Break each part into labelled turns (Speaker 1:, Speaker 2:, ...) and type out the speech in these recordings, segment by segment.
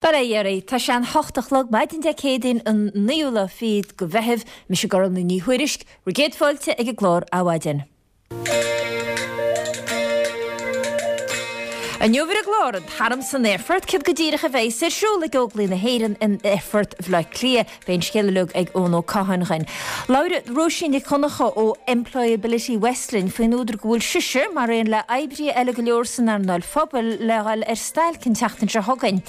Speaker 1: Bail ó Dhia oraibh. Tá sé an hocht a chlog maidin Dé Céadaoin an naoú lá fichead de Mheitheamh. Mise Gormlaith Ní Thuairisg, bhur gcéad fáilte ag an gclár Adhmhaidin. Inniu ar an gclár, an tArm san Aerfort, céard go díreach a bheas ar siúl ag Óglaigh na hÉireann in Aerfort Bhaile Átha Cliath? Beidh an scéal uilig ag Eoin Ó Catháin dhuinn. Labhróidh Róisín Nic Dhonncha ó Employability West linn faoin údar go bhfuil sise, mar aon le oibrithe eile go leor san earnáil phobail, le dhul ar stailc an tseachtain seo chugainn.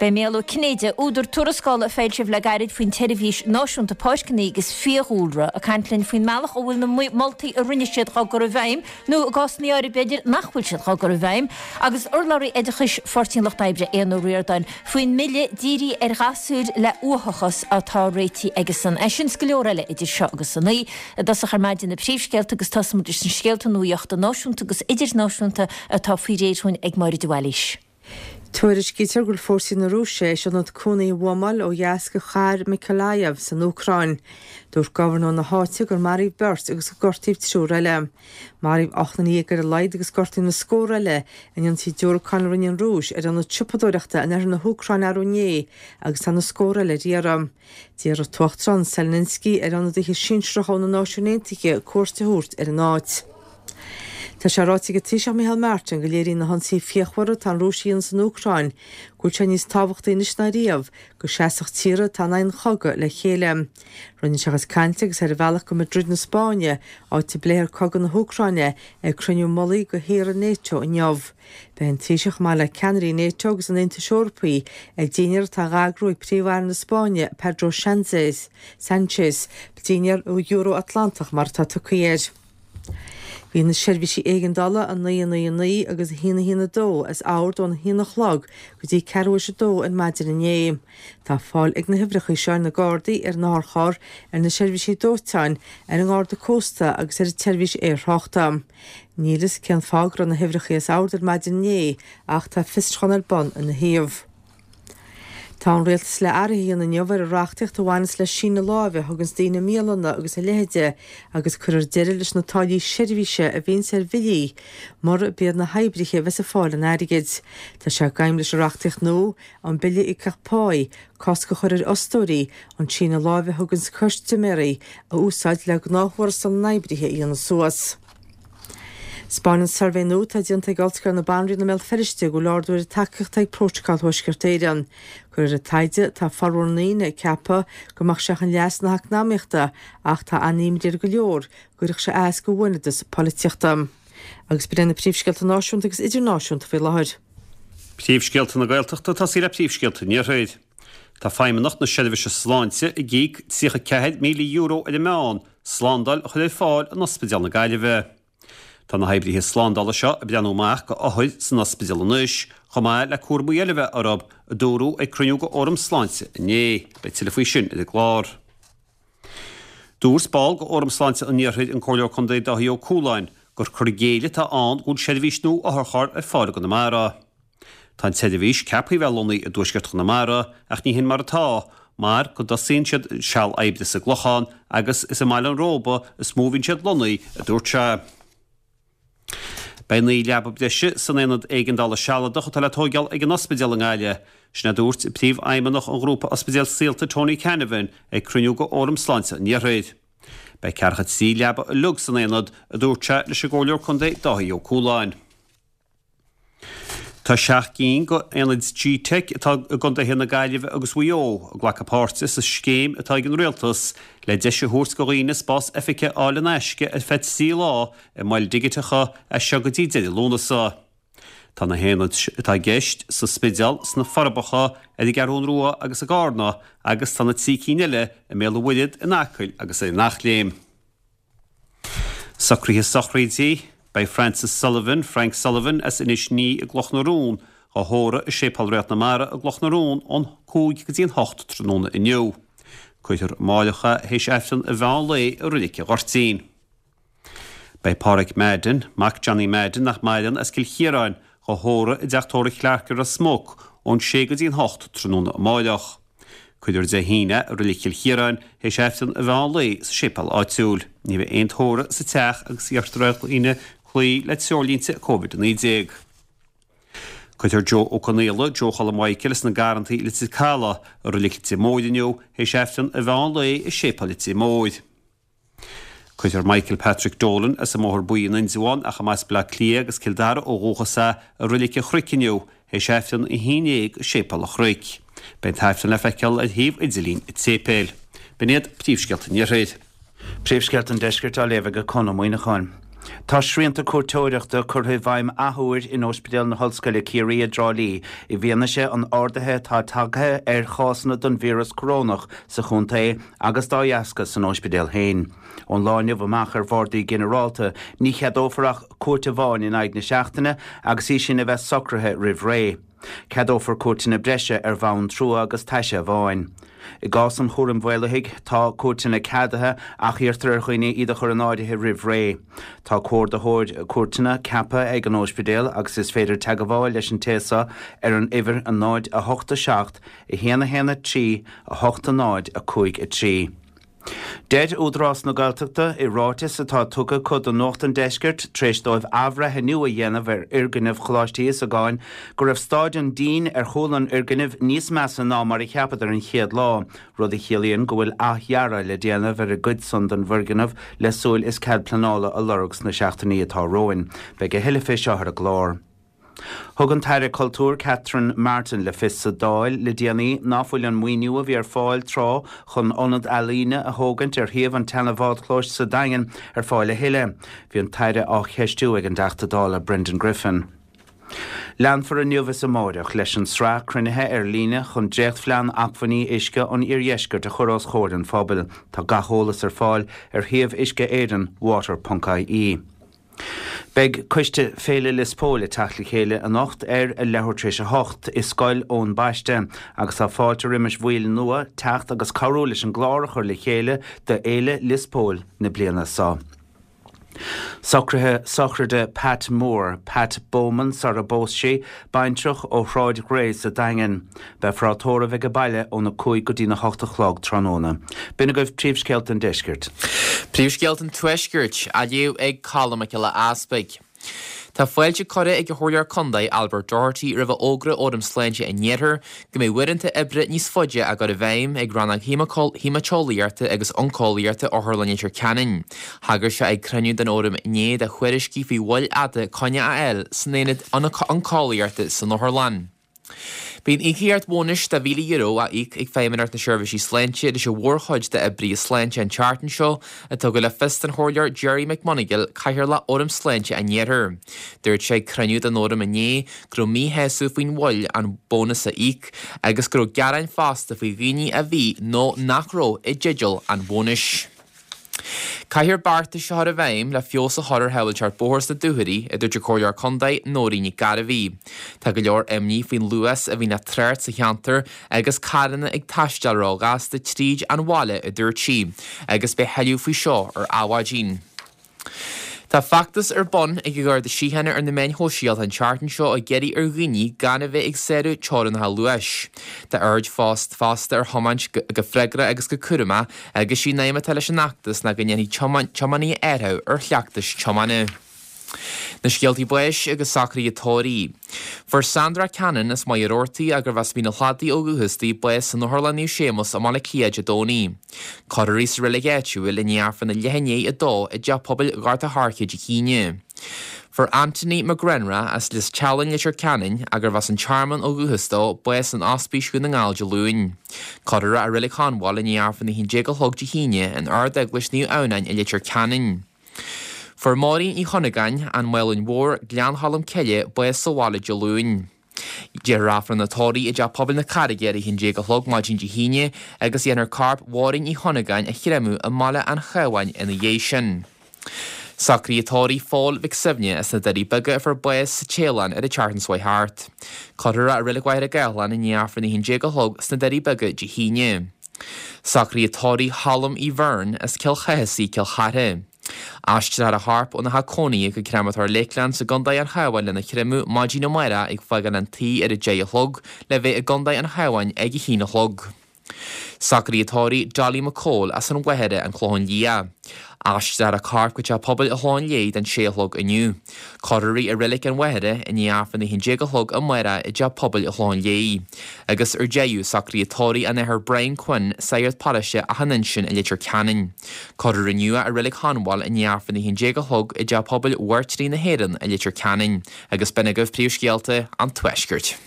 Speaker 1: Beidh Mícheál Ó Cinnéide, údar tuarascála a foilsíodh le gairid faoin tSeirbhís Náisiúnta Páirceanna agus Fiadhúlra, ag caint linn faoin mbealach a bhfuil na moltaí a rinne siad dhá gcur i bhfeidhm, nó i gcásanna áirithe b'fhéidir nach bhfuil siad dhá gcur i bhfeidhm, agus urlabhraí oideachais Pháirtí an Lucht Oibre, Aodhán Ó Ríordáin, faoin mbille dírithe ar ghasúir le uathachas atá réitithe aigesan. É sin 's go leor eile idir seo agus a naoi. I dtosach ar maidin na príomhscéalta agus tosóimid leis na scéalta nuaíochta náisiúnta agus idirnáisiúnta atá faoi réir dhúinn ag Máire de Bhailís.
Speaker 2: Tuairiscítear go bhfuil fórsaí na Rúise théis ionad cónaithe a bhuamáil ó dheas de chathair Mykolaiv san Úcráin. Dúirt gobharnóir na háite gur maraíodh beirt agus gur gortaíodh triúr eile. Maraíodh 18 nduine ar a laghad agus gortaíodh na scórtha eile in ionsaí diúracáin a rinne an Rúis ar ionad siopadóireachta in oirthear na hÚcráine arú inné agus tá na scórtha eile ar iarraidh. D'iarr an tUachtarán Zelensky ar ionadaithe sinsearacha ó na Náisiúin Aontaithe cuairt a thabhairt ar an áit. Tá sé ráite ag an Taoiseach Micheál Martin go léiríonn na hionsaithe fíochmhara atá an Rúis a dhéanamh san Úcráin go bhfuil sé níos tábhachtaí anois ná riamh go seasfadh tíortha atá in aghaidh an chogaidh le chéile. Rinne sé a chuid cainte agus é ar a bhealach go Madrid na Spáinne, áit a bpléifear cogadh na hÚcráine ag cruinniú mullaigh de thíortha Nato inniu. Beidh an Taoiseach, chomh maith le ceannairí Nato agus an Aontais Eorpaigh, ag dinnéar atá á eagrú ag Príomh-Aire na Spáinne, Pedro Sánchez, Dinnéar Euro-Atlantach mar atá tugtha air. Bhí na seirbhísí éigeandála 999 agus 112 as ord ón 1 a chlog go dtí ceathrú théis a dó ar maidin inné. Tá fáil ag na huimhreacha seo ar na Gardaí, ar an otharcharr, ar na seirbhísí dóiteáin, ar an nGarda Cósta agus ar an tseirbhís aertráchta. Níl fhios cén fáth go raibh na huimhreacha as ord ar maidin inné ach tá fiosrúchán ar bun ina thaobh. Tá an Rialtas le athruithe a dhéanamh inniu ar an reachtaíocht a bhaineas le síneadh láimhe a thuganns daoine i mbialanna agus a leithide agus cuirfear deireadh leis na táillí seirbhíse a bhíonns ar bhillí murab iad na hoibrithe a bheas ag fáil an airgid. Tá sé d'aidhm leis an reachtaíocht nua, an Bille Íocaíocht Páí, cosc a chur ar fhostóirí an síneadh láimhe a thuganns custaiméirí a úsáid le gnáth-thuarastal na n-oibrithe a dhéanamh suas. 'Spáineann suirbhé nua atá déanta ag Ollscoil na Banríona i mBéal Feirste go bhfuil ardú ar an tacaíocht ag Prótacal Thuaisceart Éireann. De réir an taighde, tá formhór na ndaoine ag ceapadh go mbeadh sé chun leas na heacnamaíochta ach tá an-imní ar go leor go gcuirfeadh sé as do bhuaneadas polaitíochta. Agus b'in iad na príomhscéalta náisiúnta agus idirnáisiúnta faoi láthair.
Speaker 3: Príomhscéalta na Gaeltachta ag tosaí le príomhscéalta an Iarthair. Tá Feidhmeannacht na Seirbhíse Sláinte ag íoc €34,000 ar an meán slándáil a chur ar fáil in Ospidéal na Gaillimhe. Tá na hoibrithe slándála seo ag breathnú amach go othair san ospidéal anois, chomh maith le cúramaí eile a bheith orthu, a dúradh ag cruinniú go Fhóram Sláinte inné. Beidh tuilleadh faoi sin ar an gclár. Dúirt ball go Fhóram Sláinte an Iarthair, an Comhairleoir Contae Dáithí Ó Cualáin, gur cur i gcéill atá ann go bhfuil seirbhís nua otharcharr ar fáil i gConamara. Tá an tseirbhís ceaptha a bheith lonnaithe i dtuaisceart Chonamara ach ní hin mar atá, mar go dtosaíonn siad seal oibre sa gClochán agus is i mBaile an Róba is mó a bhíonn siad lonnaithe, a dúirt sé. Beidh 9 leaba breise san aonad éigeandála sealadach atá le tóigeáil ag an ospidéal i nGaillimh. Sin a dúirt Príomhfheidhmeannach an ghrúpa Ospidéal Saolta Tony Canavan ag cruinniú de Fhóram Sláinte an Iarthair. Beidh ceathracha 3 leaba uilig san aonad, a dúirt sé leis an gComhairleoir Contae Dáithí Ó Cualáin. Tá 7 gcinn de aonaid gteic atá i gcontaetha na Gaillimhe agus Mhaigh Eo ag glacadh páirte sa scéim atá ag an Rialtas le deis a thabhairt do dhaoine spás oifige a fháil in aisce ar feadh 3 lá i moil dhigiteacha as seo go dtí deireadh Lúnasa. Tá na haonaid atá i gceist sa Spidéal, sna Forbacha, ar an gCeathrún Rua agus i gCarna agus tá na 3 cinn eile i mBéal an Mhuirthead, in Acaill agus ar an Eachléim. Socruithe sochraide, Beidh Francis Sullivan, Frank Sullivan, as Inis Ní i gCloch na Rón, á thórramh i Séipéal Réalt na Mara i gCloch na Rón ón 5 go dtí an 8 tráthnóna inniu. Cuirfear amáireach é théis Aifreann an mheán lae i Roilic an Ghoirtín. Beidh Páraic Madden, mac Johnny Madden nach maireann, as Cill Chiaráin, dhá thórramh i dTeach Tórraimh Clarke i Ros Muc ón 6 go dtí an 8 tráthnóna amáireach. Cuirfear Dé hAoine i Roilig Chill Chiaráin théis Aifreann an mheán lae sa séipéal áitiúil. Ní bheidh aon tórramh sa teach agus iarrtar ar dhaoine cloí le treoirlínte Covid-19. Cuirfear Joe Ó Conaola, Joe Choilm Mhichael as na Garrantaí, Leitir Caladh, i Reilig Leitir Móir inniu, théis Aifreann an mheán lae i Séipéal Leitir Móir. Cuirfear Michael Patrick Dolan as an mBóthar Buí in Indreabhán, ach ab as Baile Átha Cliath agus Cill Dara ó dhúchas é, i Reilig an Chnoic inniu, théis Aifreann a 11 i Séipéal an Chnoic. Beidh an t-aifreann le feiceáil ar shuíomh idirlín an tséipéil. B'in iad príomhscéalta an Iarthair.
Speaker 4: Príomhscéalta an Deiscirt á léamh ag Conn Ó Muíneacháin. Tá srianta cuairteoireachta curtha i bhfeidhm athuair in Ospidéal na hOllscoile Ciarraí i dTrá Lí i bhfianaise an ardaithe atá tagtha ar chásanna den víreas corónach sa chontae agus dá dheasca san ospidéal féin. Ón lá inniu amach ar bhardaí ginearálta ní cheadófar ach cuairt amháin in aghaidh na seachtaine agus í sin a bheith socraithe roimh ré. Ceadófar cuairteanna breise ar bhonn trua agus taise amháin. I gcás an chúraim mhaolaithigh, tá cuairteanna ceadaithe ach iarrtar ar dhaoine iad a chur in áirithe roimh ré. Tá comhordaitheoir cuairteanna ceaptha ag an óispidéal agus is féidir teagmháil leis an té seo ar an uimhir 0 8 7 1 1 3 8 0 5 3. Deir Údarás na Gaeltachta i ráiteas atá tugtha acu do Nuacht an Deiscirt tar éis dóibh athbhreithniú a dhéanamh ar fhoirgneamh Choláiste Íosagáin go raibh staid an dín ar chúl an fhoirgnimh níos measa ná mar a cheapadar an chéad lá, rud a chiallaíonn go bhfuil athdhearadh le déanamh ar an gcuid san den bhfoirgneamh le súil is cead pleanála a lorg sna seachtainí atá romhainn. Beidh a thuilleadh fé seo ar an gclár. Thug an tAire Cultúir Catherine Martin le fios sa Dáil le déanaí ná fuil an maoiniú a bhí ar fáil tráth chun ionad ealaíne a thógaint ar shuíomh an tseana-bhádchlóis sa Daingean ar fáil a thuilleadh. Bhí an tAire á cheistiú ag an dTeachta Dála Brendan Griffin. Leanfar inniu is amáireach leis an sraith cruinnithe ar líne chun dréachtphlean acmhainní uisce an iardheiscirt a chur os chomhair an phobail. Tá gach eolas ar fáil ar shuíomh Uisce Éireann, water.ie. Beidh Coiste Féile Lios Póil ag teacht le chéile anocht ar a leathuair tar éis a hocht i Scoil Eoin Baiste agus tá fáilte roimis bhaill nua teacht agus cabhrú leis an gclár a chur le chéile do Fhéile Lios Póil na bliana seo. Socruithe sochraide Pat Moore, Pat Bowman sara bpós sí, baintreach ó Shráid Ghray sa Daingean. Beifear á tórramh age baile óna 5 go dtína 8 a chlog tráthnóna. B'in agaibh príomhscéalta an deiscirt.
Speaker 5: Príomhscéalta an Tuaiscirt á léamh ag Colm Mac Giolla Easpaig. Tá fáilte curtha ag an Chomhairleoir Contae Albert Doherty roimh a fhógra ó Fhóram Sláinte an Iarthair go mbeidh uaireanta oibre níos faide á gcur i bhfeidhm ag Rannóg Haemaiteolaíochta agus Oncólaíochta Otharlann Leitir Ceanainn. Thagair sé ag cruinniú den Fhóram inné do thuairiscí faoi mhoill fhada coinne a fháil san aonad Oncólaíochta san otharlann. Beidh an íocaíocht bhónais de €1,000 á íoc ag Feidhmeannacht na Seirbhísí Sláinte leis an mhórchuid d'oibrithe sláinte an tseachtain seo, a tugadh le fios don Chomhairleoir Gerry McMonagall, Cathaoirleach Fhóram Sláinte an Iarthair. Dúirt sé ag cruinniú den Fhóram inné go raibh míshásamh faoin mhoill an bónas a íoc agus go raibh gearáin fosta faoi dhaoine a bhí nó nach raibh i dteideal an bhónais. Caithfear beartais a chur i bhfeidhm le feabhas a chur ar shábháilteacht bóthair sna dúchoirí, a dúirt an Comhairleoir Contae Nóirín Nic Gairbhí. Tá go leor imní faoin luas a bhíonn á trácht sa cheantar agus carranna ag taisteal róghasta tríd an bhaile, a dúirt sí, agus beidh thuilleadh faoi seo ar Adhmhaidin. Tá feachtas ar bun ag an Gharda Síochána ar na meáin shóisialta an tseachtain seo ag iarraidh ar dhaoine gan a bheith ag sárú teorainneacha luais. Tá aird fosta ar thiomáint go freagrach agus go cúramach agus sí an aidhm atá leis an fheachtas ná go ndéanfaidh tiománaithe athrú ar chleachtais tiomána. Na scéaltaí báis agus socruithe tórraimh. Fuair Sandra Cannon as Machaire Rabhartaigh, gurbh as Mín an Chladaigh ó dhúchas di, bás san Otharlann Naomh Séamus i mBaile Átha Cliath Dé Domhnaigh. Cuirfear í sa reilig áitiúil i ndiaidh Aifreann a leath i ndiaidh a dó i dTeach Pobail Ghort a' Choirce Dé hAoine. Fuair Anthony McGrenra as Lios Teallainn, Leitir Ceanainn, gurbh as an Tearmann ó dhúchas dó, bás in Ospís Dhún na nGall Dé Luain. Cuirfear é i Reilig Chonbháil i ndiaidh Aifreann a 11 a chlog Dé hAoine in Ard-Eaglais Naomh Adhamhnáin i Leitir Ceanainn. Fuair Máirín Uí Chunagáin, An Mhálainn Mhór, Gleann Cholm Cille, bás sa bhaile Dé Luain. Déarfar Aifreann an tórraimh i dTeach Pobail na Carraige ar a 11 a chlog maidin Dé hAoine agus dhéanfar corp Mháirín Uí Chunagáin a chreimeadh i mbaile an Chabháin ina dhiaidh sin. Socruithe tórraimh Phóil Mhic Suibhne as na Doirí Beaga a fuair bás sa Téalainn ar an tseachtain seo thart. Cuirfear é i Reilig Mhachaire Gathlán i ndiaidh Aifreann a 11 a chlog sna Doirí Beaga Dé hAoine. Socruithe tórraimh Cholm Uí Bheirn as Cill Chathasaigh, Cill Chartha. Aistreofar a chorp óna theach cónaithe go Creamatóir Lakeland i gContae an Chabháin lena chreimeadh maidin amárach ag fágáil an tí ar a deich a chlog le bheith i gContae an Chabháin ag a haon a chlog. Socraíodh tórraimh Dolly McCole as an Mhachaire, An Clochán Liath. Aistreofar a corp go Teach Pobail an Chlocháin Léith don 6 a chlog inniu. Cuirfear í i Reilig an Mhachaire i ndiaidh Aifreann a 11 a chlog amárach i dTeach Pobail an Chlocháin Léith. Agus ar deireadh, socraíodh tórraimh an Athar Brian Quinn, Sagart Paróiste Achadh an Uinsinn i Leitir Ceanainn. Cuirfear inniu é i Reilig Chonbháil i ndiaidh Aifreann a 11 a chlog i dTeach Pobail Mhairtírigh na hÉireann i Leitir Ceanainn. Agus b'in agaibh príomhscéalta an Tuaiscirt.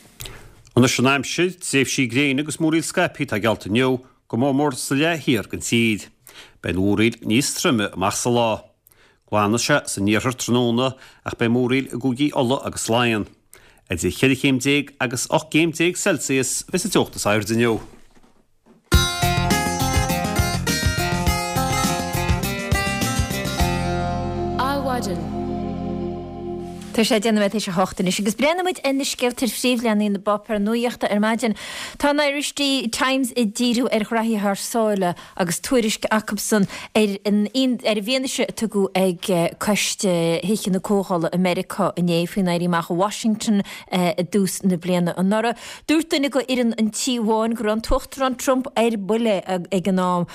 Speaker 3: Anois an aimsir, tréimhsí gréine agus múraíl scaipthe atá geallta inniu, go mór mór sa leath thiar den tír. Beidh an mhúraíl níos troime amach sa lá. Glanfaidh sé san iarthar tráthnóna ach beidh múraíl i gcúigí Uladh agus Laighean. Idir cheithre chéim déag agus 18 gcéim Celsius a bheas an teocht is airde inniu.
Speaker 1: Adhmhaidin. Tá sé 10 nóiméad théis a hocht anois agus breathnóidh muid ar na scéalta ar phríomhleathanaigh na bpáipéar nuachta ar maidin. Tá an Irish Times ag díriú ar ghraithí thar sáile agus tuairisc acusan ar an ar an bhfianaise a tugadh ag coiste Thithe na Comhdhála i Meiriceá inné faoin Éirí Amach i Washington i dtús na bliana anuraidh. Dúirt duine de fhoireann an Tí Bháin go raibh an tUachtarán Trump ar buile ag an am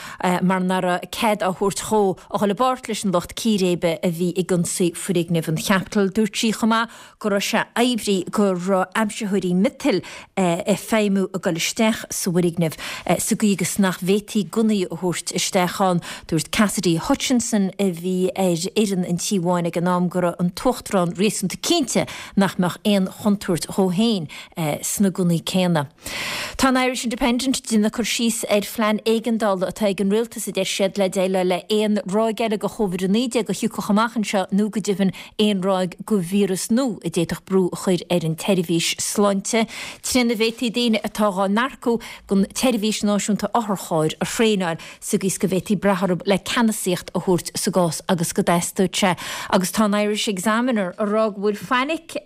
Speaker 1: mar nach raibh cead á thabhairt dhó a dhul i bpáirt leis an lucht círéibe a bhí ag ionsaí foirgneamh an Chapitol. Dúirt sí chomh maith go raibh sé oibrithe go raibh aimsitheoirí miotail ag feidhmiú ag dul isteach sa bhfoirgneamh sa gcaoi agus nach bhféadfaí gunnaí a thabhairt isteach ann. Dúirt Cassidy Hutchinson, a bhí ar fhoireann an Tí Bháin ag an am, go raibh an tUachtarán réasúnta cinnte nach mbeadh aon chontúirt dhó féin sna gunnaí céanna. Tá an Irish Independent ag déanamh cur síos ar phlean éigeandála atá ag an rialtas, a deir siad, le déileáil le aon ráig eile de Chóvid-19 a thiocfadh amach anseo nó go deimhin aon ráig de víreas nua a d'fhéadfadh brú a chur ar an tseirbhís sláinte, trína bhféadfaí daoine atá dhá n-earcú don tSeirbhís Náisiúnta Otharchairr a thraenáil sa gcaoi is go bhféadfaí brath orthu le ceannasaíocht a thabhairt sa gcás agus go dteastódh sé. Agus tá an Irish Examiner ag rá go bhfuil fainic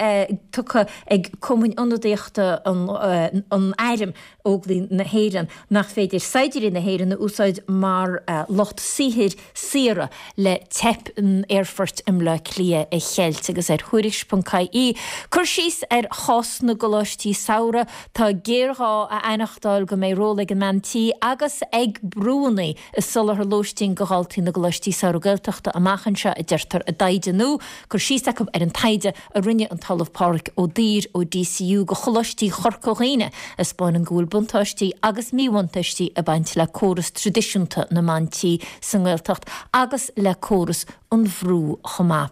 Speaker 1: tugtha ag cumainn ionadaíochta an Airm, Óglaigh na hÉireann, nach féidir saighdiúirí na hÉireann a úsáid mar lucht saothair saora le teip an aerfoirt i mBleá Cliath a cheilt. Agus ar Thuairisc.ie, cur síos ar chás na gcoláistí samhraidh, tá géarghá a aithneachtáil go mbeidh ról ag an mbean tí agus ag brúanna i soláthar lóistín do dhaltaí na gcoláistí samhraidh Gaeltachta amach anseo, a deirtear i dtaighde nua. Cur síos acu ar an taighde a rinne an tOllamh Pádhraic Ó Duibhir ó DCU do Choláistí Chorca Dhuibhne a 'spáineann go bhfuil buntáistí agus míbhuntáistí ag baint le córas traidisiúnta na mban tí sa nGaeltacht agus le córas an bhrú chomh maith.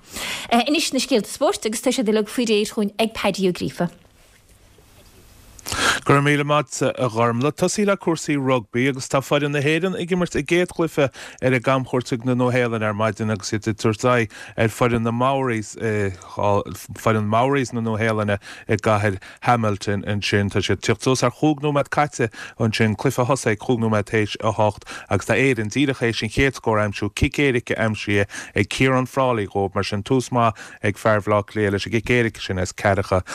Speaker 1: Anois na scéalta spóirt agus tá siad uilig faoi réir chugainn ag Paddy Ó Gríofa.
Speaker 6: Go raibh míle maith agat, a Ghormlaith. Tosaí le cúrsaí rugbaí agus tá foireann na hÉireann ag imirt a gcéad chluiche ar a gcamchuairt chuig na Nua-Shéalainn ar maidin agus iad ag tabhairt aghaidh ar foireann na Maoris, foireann Maoris na Nua-Shéalainne i gcathair Hamilton ansin. Tá siad ag tíocht suas ar chúig nóiméad caite ansin, cluiche a thosaigh ag chúig nóiméad théis a hocht agus tá Éirinn díreach théis an chéad scór a aimsiú, cic éirice aimsithe ag Ciarán Frawley dhóibh, mar sin tús maith ag fear Bhaile Átha Cliath leis an gcic éirice sin as ceathracha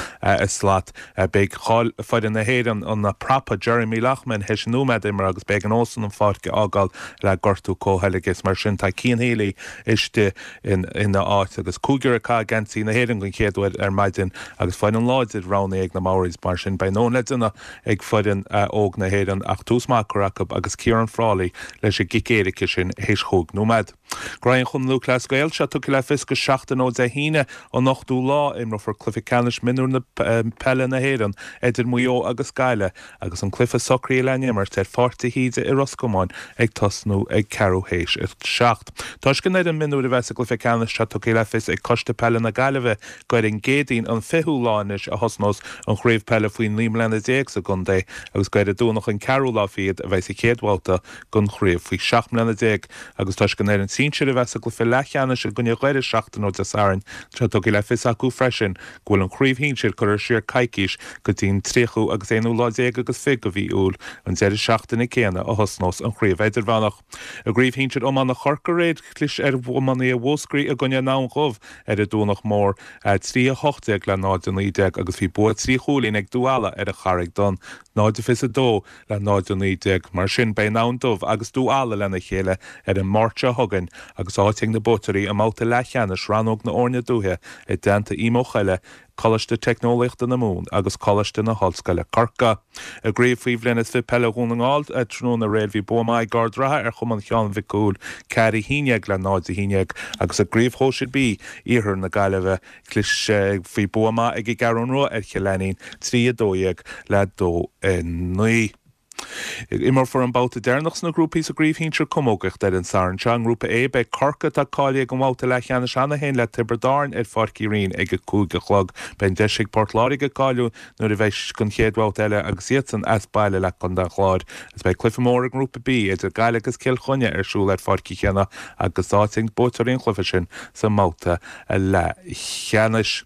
Speaker 6: slat. Beidh cáil foireann na hÉireann, an prapa Jeremy Loughman, théis nóiméad imeartha agus b'éigean dósan an pháirc a fhágáil le gortú comhcheilge. Mar sin tá Cian Healy istigh ina áit agus cúigear ag caitheamh geansaí na hÉireann den chéad uair ar maidin agus foireann láidir roghnaithe ag na Maoris. Mar sin beidh a ndóthain le déanamh ag foireann óg na hÉireann ach tús maith curtha acu agus Ciarán Frawley leis an gcic éirice sin théis chúig nóiméad. Graí an Chumann Lúthchleas Gael sé tugtha le fios gur seachtain ó Dé hAoine an 8ú lá imreofar cluiche ceannais mionúir na peile na hÉireann idir Maigh Eo agus Gaillimh agus an cluiche socraithe lena imirt ar Pháirc de hÍde i Ros Comáin ag tosnú ag ceathrú théis a 7. Toisc an fhoireann mionúir a bheith sa gcluiche ceannais tá tugtha le fios ag Coiste Peile na Gaillimhe gur ar an gCéadaoin an 20ú lá anois a thosnós an chraobh peile faoi 19 mbliana sa gcontae agus gur ar an Domhnach an ceathrú lá fichead a bheidh sa chéad bhabhta den chraobh faoi 17 mbliana. Agus toisc an fhoireann sinsir a bheith sa gcluiche leathcheannais i gcoinne Dhoire seachtain ó Dé Sathairn, tá tugtha le fios acu freisin go bhfuil an chraobh shinsir curtha siar coicís go dtí an tríochú agus aonú lá déag agus fiche de mhí Iúil, an deireadh seachtaine céanna a thosnós an chraobh idirmheánach. I gcraobh shinsir iomána Chorcaí aréir, chlis ar iománaithe Mhúscraí i gcoinne an Abhainn Dhubh ar an Domhnach Mór, 3, 18 le 0, 19 agus bhí bua trí chúilín ag Dún Ealla ar an Charraig Donn, 0, 22 le 0, 19. Mar sin, beidh an Abhainn Dubh agus Dún Ealla lena chéile ar an Máirt seo chugainn agus áit ag na buaiteoirí i mbabhta leathcheannais rannóg na bhfoirne dúiche i dteannta Imo Choille. Coláiste Teicneolaíochta na Mumhan agus Coláiste na hOllscoile Corcaigh. I gCraobh Faoi Bhliain is 20 Peile Dhún na nGall tráthnóna aréir bhí bua maith ag Ard Ratha ar Chumann Sheáin Mhic Cumhaill, 4, 11 le 0, 11, agus i gCraobh Shóisir B Iarthar na Gaillimhe chlis bhí bua maith ag an gCeathrú Rua ar Chill Ainnín, 3, 12 le 2, 9. Imreofar an babhta deireanach sna grúpaí sa gCraobh Shinsir Camógaíochta ar an Satharn seo. I nGrúpa A, beidh Corcaigh, atá cáilithe don bhabhta leathcheannais cheana féin, le Tiobraid Árann ar Pháirc Uí Rinn ag a 5 a chlog. Beidh an deis ag Port Láirge cáiliú nuair a bheidh don chéad bhabhta eile agus iadsan as baile le Contae an Chláir. Agus beidh cluiche mór i nGrúpa B idir Gaillimh agus Cill Chainnigh ar siúl ar Pháirc Uí Chionnaith agus áit ag buaiteoirí an chluiche sin sa mbabhta leathcheannais.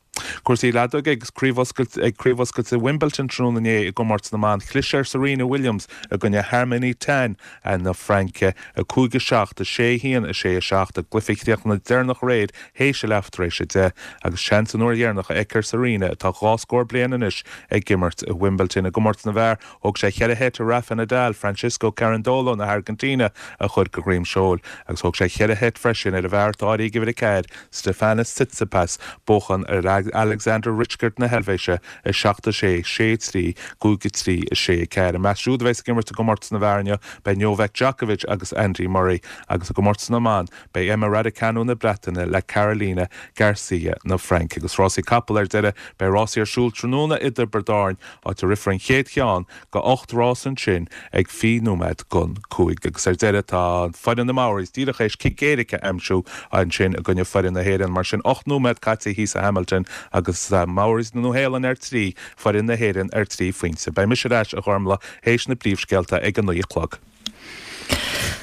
Speaker 6: Cúrsaí leadóige agus Craobh Oscailte ag Craobh Oscailte Wimbledon tráthnóna inné i gcomórtas na mban. Chlis ar Serena Williams i gcoinne Harmony Tan na Fraince, 5, 7, 6, 1, 6, 7, i gcluiche a chríochnaigh deireanach aréir théis a leath tar éis a deich agus seans an uair dheireanach a fheicfear Serena, atá dhá scór bliain anois, ag imirt i Wimbledon. I gcomórtas na bhfear, Thóg sé cheithre sheit ar Rafa Nadal, Francisco Cerundolo na hAirgintíne a chur de dhroim seoil agus thóg sé cheithre sheit freisin ar an bhfear atá áirithe ag uimhir 4, Stefanos Tsitsipas, buachan ar Alexander Ritschard na hEilvéise, 7, 6, 6, 3, 5, 3, 6, 4. I measc siúd a bheas ag imirt i gcomórtas na bhfear inniu beidh Novak Djokovic agus Andy Murray agus i gcomórtas na mban beidh Emma Raducanu na Breataine le Carolina Garcia na Fraince. Agus rásaí capall ar deireadh, beidh rásaí ar siúl tráthnóna i dTiobraid Árann áit a rithfear an chéad cheann de 8 rás ansin ag 20 nóiméad don 5. Agus ar deireadh tá foireann na Maoris díreach théis cic éirice a aimsiú ansin i gcoinne foireann na hÉireann. Mar sin 8 nóiméad caite thíos i Hamilton agus Maoris na Nua-Shéalainne ar 3, foireann na hÉireann ar 3 phointe. Beidh mise ar ais a Ghormlaith théis na bpríomhscéalta ag a 9 a chlog.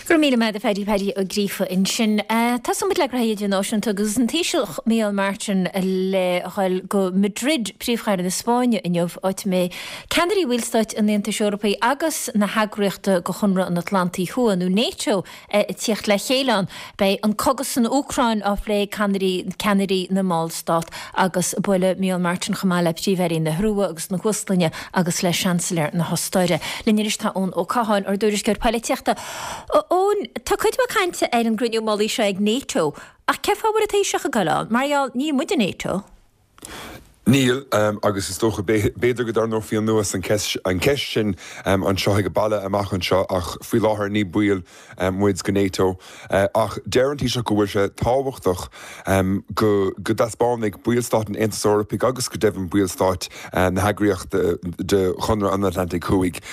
Speaker 1: Go raibh míle maith agat a Phaddy, Paddy Ó Gríofa ansin. Tosóidh muid le graithí idirnáisiúnta agus an Taoiseach Micheál Martin le dhul go Madrid, príomhchathair na Spáinne inniu, áit a mbeidh ceannairí bhallstáit an Aontais Eorpaigh agus na heagraíochta de Chonradh an Atlantaigh Thuaidh, nó NATO, ag tíocht le chéile ann. Beidh an cogadh san Úcráin á phlé ag ceannairí na mballstát agus buailfidh Micheál Martin chomh maith le Príomh-Airí na hIorua agus na hÍoslainne agus le Seansailéir na hOstáire. Linn anois tá Eoin Ó Catháin, ár dtuairisceoir poilitíochta. A Eoin, tá cuid mhaith cainte ar an gcruinniú mullaigh seo ag NATO, ach cén fáth a bhfuil an Taoiseach ag dul ann? Mar gheall, níl muid i NATO.
Speaker 7: Níl, agus is dócha, b'fhéidir go dtarraingeofaí anuas an cheist sin anseo ag an baile amach anseo ach faoi láthair ní baill muid de NATO. Ach deir an Taoiseach go bhfuil sé tábhachtach go dtaispeánfaidh ballstáit an Aontais Eorpaigh agus go deimhin ballstáit na heagraíochta de Chonradh an Atlantaigh Thuaidh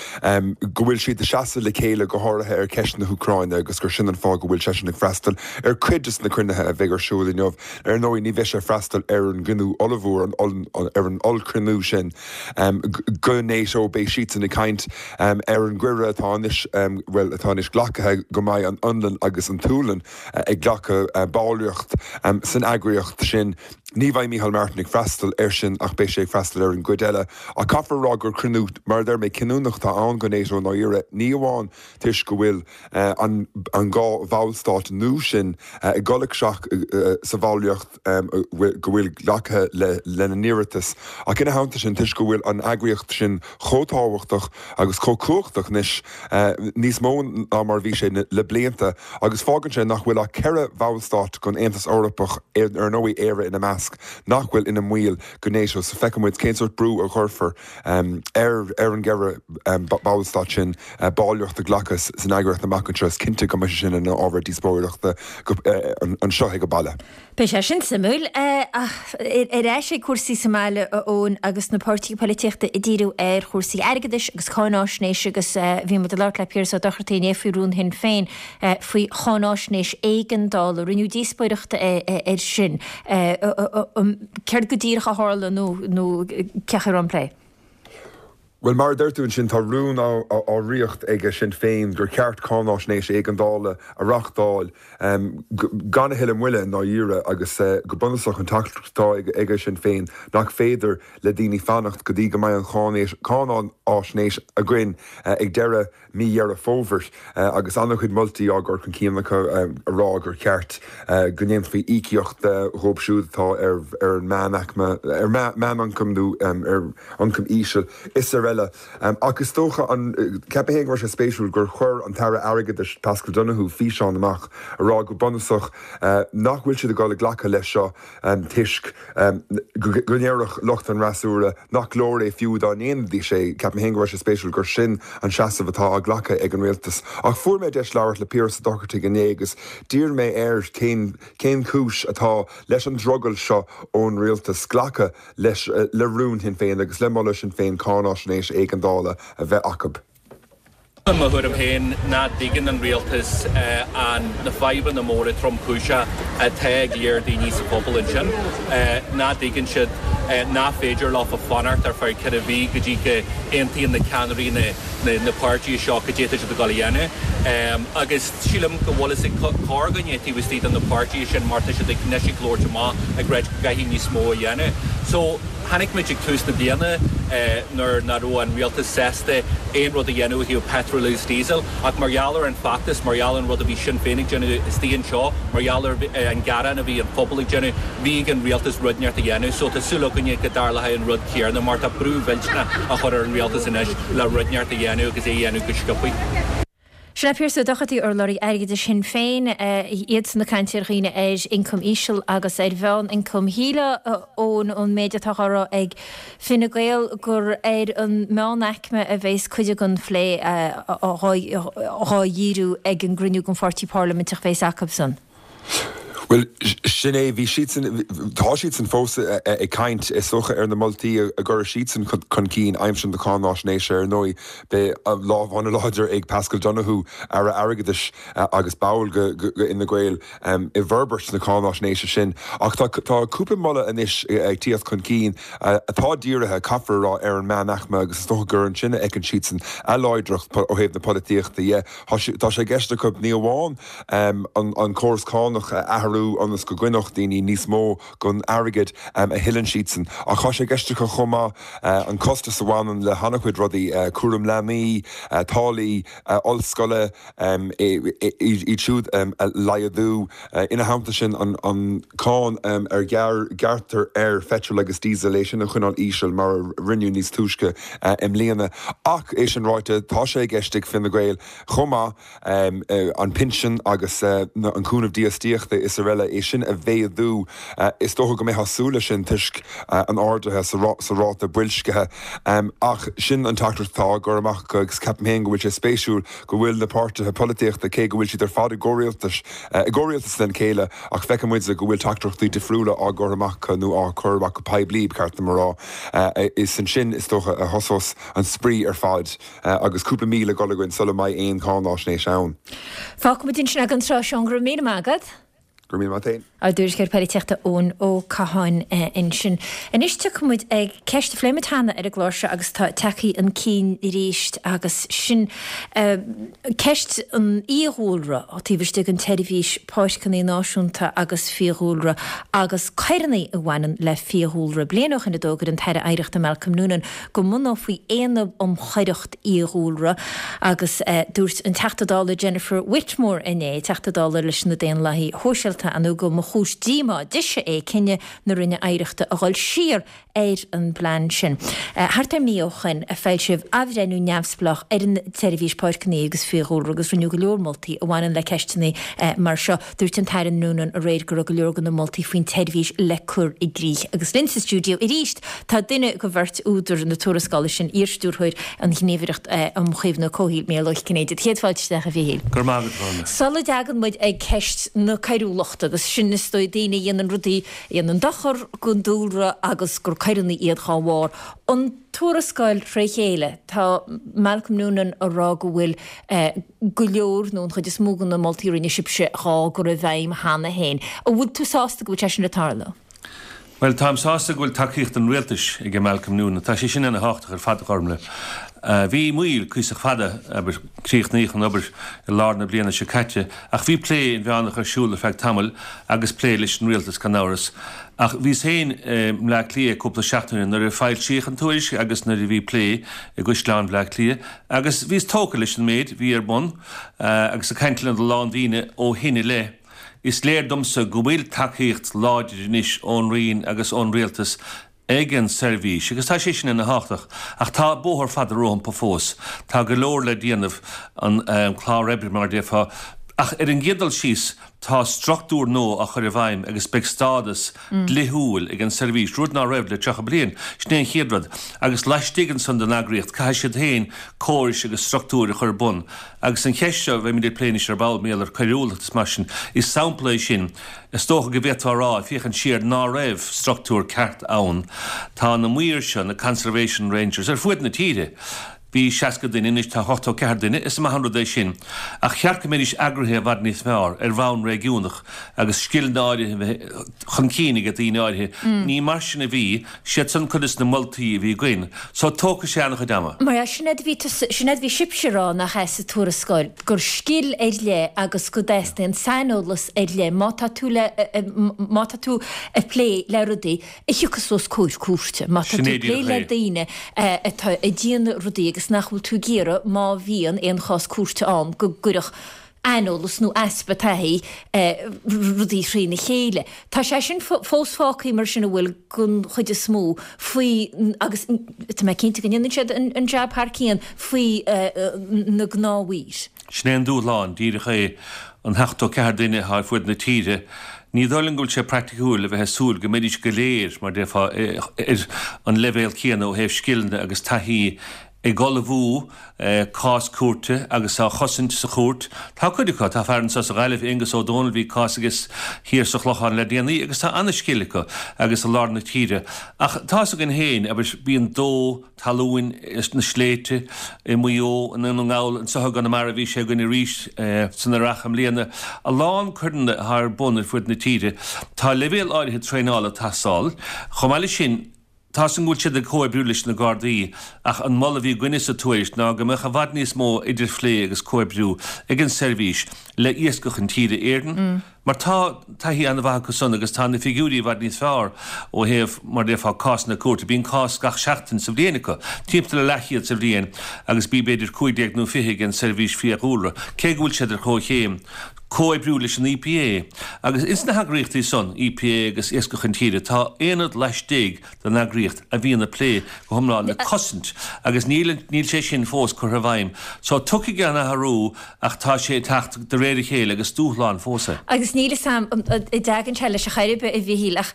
Speaker 7: go bhfuil siad ag seasamh le chéile go háirithe ar cheist na hÚcráine agus gur sin an fáth go bhfuil seisean ag freastal ar cuid de na cruinnithe a bheidh ar siúl inniu. Ar ndóigh, ní bheidh sé ag freastal ar an gcruinniú ollmhór, ar an ollchruinniú sin de NATO. Beidh siadsan ag caint ar an gcuireadh atá anois, bhuel, atá anois glactha go mbeidh an Fhionlainn agus an tSualainn ag glacadh ballraíocht san eagraíocht sin. Ní bheidh Micheál Martin ag freastal air sin ach beidh sé ag freastal ar an gcuid eile. Ach caithfear a rá gur cruinniú, mar a deir mé, cinniúnach atá ann do NATO i ndáiríre, ní amháin toisc go bhfuil an dhá bhallstát nua sin ag dul isteach sa bhallraíocht go bhfuil glactha lena n-iarratas, ach ina theannta sin, toisc go bhfuil an eagraíocht sin chomh tábhachtach agus chomh cumhachtach anois, níos mó ná mar a bhí sé le blianta, agus fágann sé nach bhfuil ach ceithre bhallstát den Aontas Eorpach, ar ndóigh, Éire ina measc, nach bhfuil ina mbaill de NATO. So feicfidh muid cén sórt brú a chuirfear ar an gceithre bhallstát sin ballraíocht a ghlacadh san eagraíocht amach anseo. Is cinnte go mbeidh sé sin ina ábhar díospóireachta anseo ag an baile.
Speaker 1: Beidh sé sin suimiúil. Ach ar ais ag cúrsaí sa mbaile, a Eoin, agus na páirtithe polaitíochta ag díriú ar chúrsaí airgeadais agus cáináisnéis agus bhí muid ag labhairt le Piaras Ó Dochartaigh inné faoi rún Shinn Féin faoi cháináisnéis éigeandála. Rinneadh díospóireacht air sin. Céard go díreach a tharla nó cén chaoi a raibh an plé?
Speaker 7: Bhuel, mar a deir tú ansin, tá rún á reacht ag Sinn Féin gur cheart cáináisnéis éigeandála a reachtáil gan a thuilleadh moille i ndáiríre agus go bunúsach an teachtaireacht atá ag Sinn Féin nach féidir le daoine fanacht go dtí go mbeidh an cháináisnéis againn ag deireadh mí Dheireadh Fómhair agus an-chuid moltaí á gcur chun cinn acu ag rá gur cheart go ndéanfaí íocaíocht dhóibh siúd atá ar an meánaicme, ar mheánioncam nó ar ioncam íseal is araile. araile. Ach is dócha an, ceapaim féin go raibh sé spéisiúil gur chuir an tAire Airgeadais Paschal Donohoe físeán amach a rá go bunúsach nach bhfuil siad ag dul ag glacadh leis seo toisc go ndéarfadh lucht an fhreasúra nach leor é fiú dá ndéanfaidís é. Ceapaim féin go raibh sé spéisiúil gur sin an seasamh atá á ghlacadh ag an rialtas. Ach fuair mé deis labhairt le Piaras Ó Dochartaigh inné agus d'iarr mé air cén cén chúis atá leis an drogall seo ón rialtas glacadh leis le rún Shinn Féin agus le moladh Shinn Féin cáináisnéis éigeandála a bheith acu.
Speaker 8: I mo thuairim féin, ná dtuigeann an rialtas an na fadhbanna móra tromchúiseacha atá ag léir daoine sa phobal ansin. Ná dtuigeann siad ná féidir leofa fanacht ar feadh 4 mhí go dtí go aontaíonn na ceannairí na na páirtithe seo cad é atá siad ag dul a dhéanamh. Agus sílim go bhfuil fhios ag corrdhuine taobh istigh de na páirtithe sin mar tá siad ag anois ag labhairt amach ag ráit go gcaithfidh níos mó a dhéanamh. So. Chonaic muid ag tús na bliana nuair nach raibh an rialtas sásta aon rud a dhéanamh ó thaobh petrol agus diesel ach mar gheall ar an feachtas, mar gheall ar an rud a bhí Sinn Féin ag déanamh istigh anseo, mar gheall ar an gearán a bhí an phobal ag déanamh, bhí ag an rialtas rud inteacht a dhéanamh. So tá súil againne go dtarlóidh an rud céarna mar tá brú mhillteanach á chur ar an rialtas anois le rud inteacht a dhéanamh agus é a dhéanamh go sciobthaí.
Speaker 1: Sin é Pearse Ó Dochartaigh, urlabhraí airgeadais Shinn Féin, iadsan ag caint ar dhaoine ar ioncam íseal agus ar mheán-ioncam. Shílfeá ón méid atá á rá ag Fine Gael gur ar an meánaicme a bheas cuid den phlé dhá dhíriú ag an gcruinniú den pháirtí parlaiminteach a bheas acusan.
Speaker 7: Bhuel, sin é, bhí siadsan, tá siadsan fós ag caint, is dócha, ar na moltaí a gcuirfidh siadsan chun cinn aimsir na cáináisnéise. Ar ndóigh, beidh lámh an-láidir ag Paschal Donohoe, Aire Airgeadais agus ball de Fhine Gael, i bhforbairt na cáináisnéise sin. Ach tá cúpla moladh anois ag tíocht chun cinn atá dírithe, caithfear a rá, ar an meánaicme agus is dócha gur ansin a fheiceann siadsan a láidreacht ó thaobh na polaitíochta dhe. Tá sé i gceist acu ní amháin an córas cánach a athrú ionas go gcoinneodh daoine níos mó den airgead a thuilleann siadsan. Ach tá sé i gceist acu chomh maith an costas a bhaineann le han-chuid rudaí, cúram leanaí, táillí ollscoile, iad siúd a laghdú. Ina theannta sin, an cáin a ghearrtar ar pheitreal agus díosal, é sin a choinneáil íseal mar a rinneadh níos túisce i mbliana. Ach é sin ráite, tá sé i gceist ag Fine Gael chomh maith, an pinsean agus an cúnamh dífhostaíochta is araile, é sin a mhéadú. Is dócha go mbeifeá ag súil leis sin toisc an ardaithe sa ráta boilscithe. Ach sin an teachtaireacht atá á gcur amach acu agus ceapaim féin go bhfuil sé spéisiúil go bhfuil na páirtithe polaitíochta, cé go bhfuil siad ar fad i gcomhrialtas, i gcomhrialtas lena chéile, ach feiceann muid go bhfuil teachtaireachtaí difriúla á gcur amach acu nó á cur amach go poiblí, ba cheart dom a rá. Is ansin, is dócha, a thosós an spraoi ar fad. Agus cúpla mí le dhul againn sula mbeidh aon cháináisnéis ann.
Speaker 1: Fágfaimid ansin é don tráth seo, go raibh míle maith agat.
Speaker 7: Go raibh míle maith agat féin.
Speaker 1: Ár dtuairisceoir polaitíochta Eoin Ó Catháin ansin. Anois tiocfaidh muid ag ceist a phléigh muid cheana ar an gclár seo agus atá tagtha chun cinn arís agus sin ceist an fhiadhúlra taobh istigh den tSeirbhís Páirceanna Náisiúnta agus Fiadhúlra agus coireanna a bhaineann le fiadhúlra. Bliain ó shin a d'fhógair an tAire Oidhreachta Malcolm Noonan go mbunófaí Aonad um Choireacht Fhiadhúlra agus dúirt an Teachta Dála Jennifer Whitmore inné, Teachta Dála leis na Daonlathaigh Shóisialta, ar ndóigh go mba chúis díomá dise é cinneadh na Roinne Oidhreachta a dhul siar ar an bplean sin. Thart ar mhí ó shoin a foilsíodh athbhreithniú neamhspleách ar an tSeirbhís Páirceanna agus Fiadhúlra agus rinneadh go leor moltaí a bhaineann le ceisteanna mar seo. Dúirt an tAire Noonan aréir go raibh go leor de na moltaí faoin tseirbhís le cur i gcrích. Agus linn sa stiúideo arís tá duine de bheirt údar na tuarascála sin, iarstiúrthóir an Ghníomhaireacht um Chaomhnú Comhshaoil, Mícheál Ó Cinnéide. Céad fáilte isteach, a Mhíchíl.
Speaker 6: Go raibh maith agat, a Ghormlaith.
Speaker 1: Sula dtagann muid ag ceist na coiriúlachta, agus sin is dóigh daoine a dhéanann rudaí a dhéanann dochar don dúlra agus gur coireanna iad dhá bharr, an tuarascáil fré chéile, tá Malcolm Noonan a rá go bhfuil go leor, nó an chuid is mó de na moltaí a rinne sibhse dhá gcur i bhfeidhm cheana féin. An bhfuil tú sásta go bhfuil sé sin ag tarlú?
Speaker 6: Bhuel, táim sásta go bhfuil tacaíocht an Rialtais ag Malcolm Noonan. Tá sé sin ana thábhachtach ar fad, a Ghormlaith. Bhí moill cuíosach fada, abair, críochnaíodh an obair i lár na bliana seo caite, ach bhí plé inmheánach ar siúl ar feadh tamaill agus plé leis an Rialtas gan amhras. Ach bhíos féin i mBleá Cliath cúpla seachtain ó shin nuair a foilsíodh an tuairisc agus nuair a bhí plé i gCaisleán Bhleá Cliath Agus bhíos tógtha leis an méid a bhí ar bun, agus ag caint lena lán daoine ó shin i leith, is léir domsa go bhfuil tacaíocht láidir anois ón Roinn agus ón Rialtas.
Speaker 9: Ag an seirbhís, agus tá sé sin ana thábhachtach, ach tá bóthar fada rompu fós. Tá go leor le déanamh, an clár oibre mar a déarfá, ach ar an gcéad dul síos tá struchtúr nua á chur i bhfeidhm agus beidh stádas dlíthiúil ag an seirbhís, rud ná raibh le 30 bliain. Sin é an chéad rud. Agus laistigh ansan den eagraíocht caithfidh siad féin córais agus struchtúir a chur ar bun. Agus an cheist seo a bheimid ag plé anois ar ball, mar gheall ar coiriúlacht is mar sin, is sampla é sin. Is dócha go bhféadfá a rá, ag féachaint siar, ná raibh struchtúr ceart ann. Tá na maoir seo, na Conservation Rangers, ar fuaid na tíre. Bhí 60 duine, anois tá 84 duine, is maith an rud é sin. Ach cheart go mbeidís eagraithe i bhfad níos fearr, ar bhonn réigiúnach, agus scileanna áirithe a bheith chun cinn ag daoine áirithe. Ní mar sin a bhí. Siad san cuid des na moltaí a bhí againn. So tógfaidh sé an-chuid ama.
Speaker 1: Mar ea, sin é a bhí tusa, sin é a bhí sibhse a rá, nach ea, sa tuarascáil, gur scil ar leith agus go dteastaíonn saineolas ar leith má tá tú le, má tá tú ag plé le rudaí a thiocfas os comhair cúirte, má tá tú ag plé le daoine atá ag déanamh rudaí agus nach bhfuil tú ag iarraidh má bhíonn aon chás cúirte ann go gcuirfeadh aineolas nó easpa taithí rudaí thrína chéile. Tá sé sin fós fágtha mar sin an bhfuil den chuid is mó faoi agus tá mé cinnte go ndéanann siad an jab thar cionn faoi na gnáthmhaoir.
Speaker 9: Sin é an dúshlán, díreach é, an 74 duine atá ar fuaid na tíre. Ní dóigh liom go bhfuil sé praiticiúil a bheith ag súil go mbeidís go léir, mar déarfá, ar an leibhéal céanna ó thaobh scileanna agus taithí ag ullmhú cás cúirte agus á chosaint sa chúirt. Tá cuid acu, tá fear anseo sa Ghaillimh, Aengus Ó Dónaill, bhí cás aige thiar sa Chlochán le déanaí agus tá an-scil acu agus i lár na tíre. Ach tá's againn féin, abair, bíonn dó, talún sna sléibhte i Maigh Eo, i nDún na nGall, anseo i gConamara bhí sé againn arís san Earrach i mbliana. A lán coireanna atá ar bun ar fuaid na tíre. Tá leibhéal áirithe traenála ag teastáil. Chomh maith leis sin, tá's agam go bhfuil siad ag comhoibriú leis na Gardaí ach an moladh a bhí againne sa tuairisc ná go mbeadh i bhfad níos mó idirphlé agus comhoibriú ag an seirbhís le Iascach Intíre Éireann, Mar tá taithí an-mhaith acu san agus tá na figiúirí i bhfad níos fearr ó thaobh, mar a déarfá, cásanna cúirte. Bíonn cás gach seachtain sa bhliain acu, timpeall le leathchéad sa bhliain agus bíonn b'fhéidir 15 nó 20 ag an Seirbhís Fiadhúlra, cé go bhfuil siad ar chomhchéim. Comhoibriú leis an EPA agus ins na heagraíochtaí san, EPA agus Iascach Intíre, tá aonad laistigh den eagraíocht a bhíonn ag plé go hiomlán le cosaint agus níl níl sé sin fós curtha i bhfeidhm. So tiocfaidh an athrú ach tá sé ag teacht de réir a chéile agus dúshlán fós é.
Speaker 1: Agus níl fhios a'm an dtagann sé leis ar chor ar bith a Mhichíl ach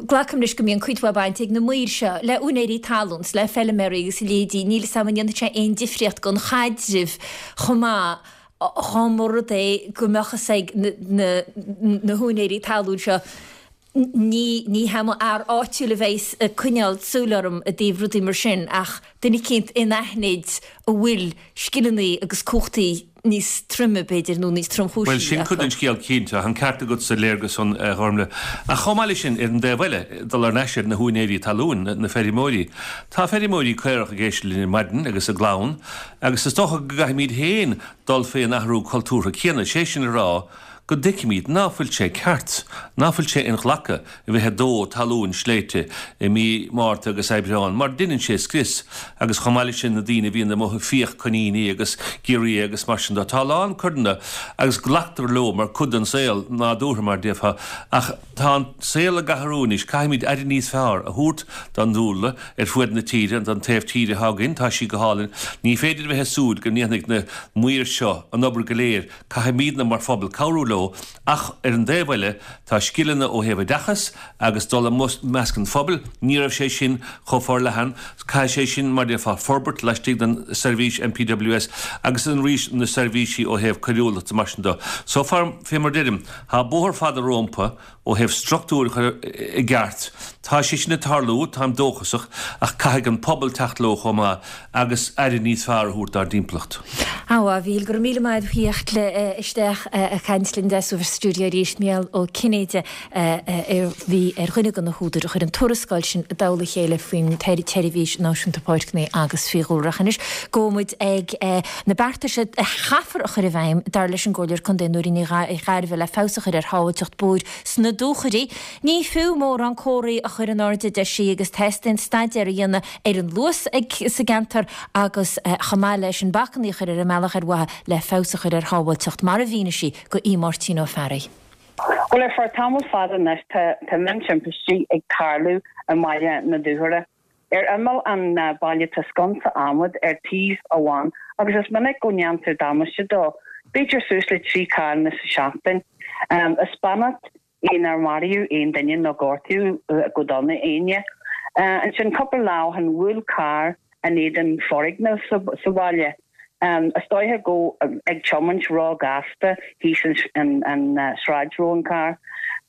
Speaker 1: glacaim leis go mbíonn cuid mhaith baint ag na maoir seo le úinéirí talún 's le feilméaraí agus a leithéidí, níl fhios a'm an ndéanfaidh sé aon difríocht don chaidreamh chomh maith dá mba rud é go mbeadh fhios ag na húinéirí talún seo Ní, ní hé mo fhear áitiúil a bheas ag coinneáil súil orm i dtaobh rudaí mar sin ach duine eicínt anaithnid a bhfuil scileanna agus cumhachtaí níos troime, b'fhéidir, nó níos tromchúisí
Speaker 9: Bhuel, sin cuid
Speaker 1: acu.
Speaker 9: den scéal cinnte. Tá an ceart agat sa léargas san, a Ghormlaith. Ach chomh maith leis sin, ar an dtaobh eile, dul thar n-ais ar na húinéirí talún, na feirmeoirí. Tá feirmeoirí caorach ag éisteacht linn ar maidin agus a gclann agus is dócha go gcaithfimid féin dul fén athrú cultúrtha céanna, sé sin a rá, go dtuigfimid ná fuil sé ceart, ná fuil sé inghlactha a bheith ag dó talún sléibhte i mí Márta agus Aibreán mar deineann sé scrios agus chomh maith leis sin na daoine a bhíonn amuigh ag fiach coiníní agus giorria agus mar sin de. Tá a lán coireanna agus glactar leo mar cuid den saol nádúrtha mar déarfá ach tá an saol ag athrú anois caithfimid aire níos fearr a thabhairt don dúlra ar fuaid na tíre, don taobh tíre atá againn, tá sí go hálainn. Ní féidir a bheith ag súil go ndéanfaidh na maoir seo an obair go léir Caithfimidne mar phobal cabhrú leo ach ar an dtaobh eile tá scileanna ó thaobh oideachas agus dul i measc an phobail, ní raibh sé sin chomh forleathan, caithfidh sé sin mar déarfá forbairt laistigh den seirbhís NPWS agus arís na seirbhísí ó thaobh coiriúlachta mar sin de. So far, fé mar deirim, tá bóthar fada rómpa Ó thaobh struchtúir a chur i gceart, tá sé sin ag tarlú, táim dóchasach, ach caithfidh an pobal teacht leo chomh maith agus aire níos fearr a thabhairt dár dtimpeallacht.
Speaker 1: A Mhíchíl, go raibh míle maith agat as theacht isteach ag caint linn sa stiúideo arís. Mícheál Ó Cinnéide a bhí ar dhuine de na húdair a chuir an tuarascáil sin i dtoll a chéile faoin tSeirbhís Náisiúnta Páirceanna agus Fiadhúlra. Ach anois gabhfaidh muid ag na beartais a chaithfear a chur i bhfeidhm, dar leis an gComhairleoir Contae Nóirín Ní Ghairbhith, le feabhas a chur ar shábháilteacht bóthair sna dúchoraidh. Ní fiú mórán comharthaí a chur in airde, a deir sí, agus teastaíonn staidéar a dhéanamh ar an luas sa gceantar agus chomh maith leis sin bacanna a chur ar an mbealach ar mhaithe le feabhas a chur ar shábháilteacht, mar a mhínigh sí do Aodh Máirtín Ó Fearraigh.
Speaker 10: Bhuel, ar feadh tamall fada anois tá, tá miontimpistí ag tarlú. i mBaile na Dúchoradh. Ar imeall an bhaile tá sconsa adhmaid ar taobh amháin agus is minic go ndéantar damáiste dó, b'fhéidir suas le 3 carranna sa seachtain. Is beannacht é nár maraíodh aon duine nó gortaíodh go dona éinne. Ansin cúpla lá ó shin bhuail carr in éadan foirgneamh sa bhaile. Is dóiche go ag tiomáint ró-ghasta thíos an sráid raibh an carr.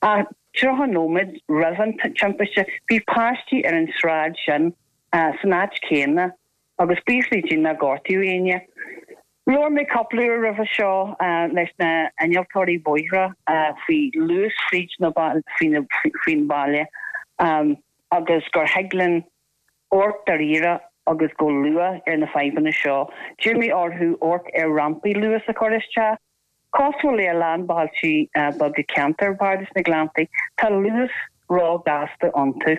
Speaker 10: Ach 30 nóiméad roimh an timpiste bhí páistí ar an sráid sin san áit chéanna agus buíochas le Dia nár gortaíodh éinne. Labhair mé cúpla uair roimhe seo leis na innealtóirí bóithre faoi luas fríd na faoin bhaile agus gur thig linn amharc dáiríre agus go luath ar na fadhbanna seo. D'iarr mé orthu amharc ar rampaí luas a chur isteach. Cosúil le a lán bailtí beaga ceantar Bhardas na Gleanntaí, tá luas ró-ghasta iontu.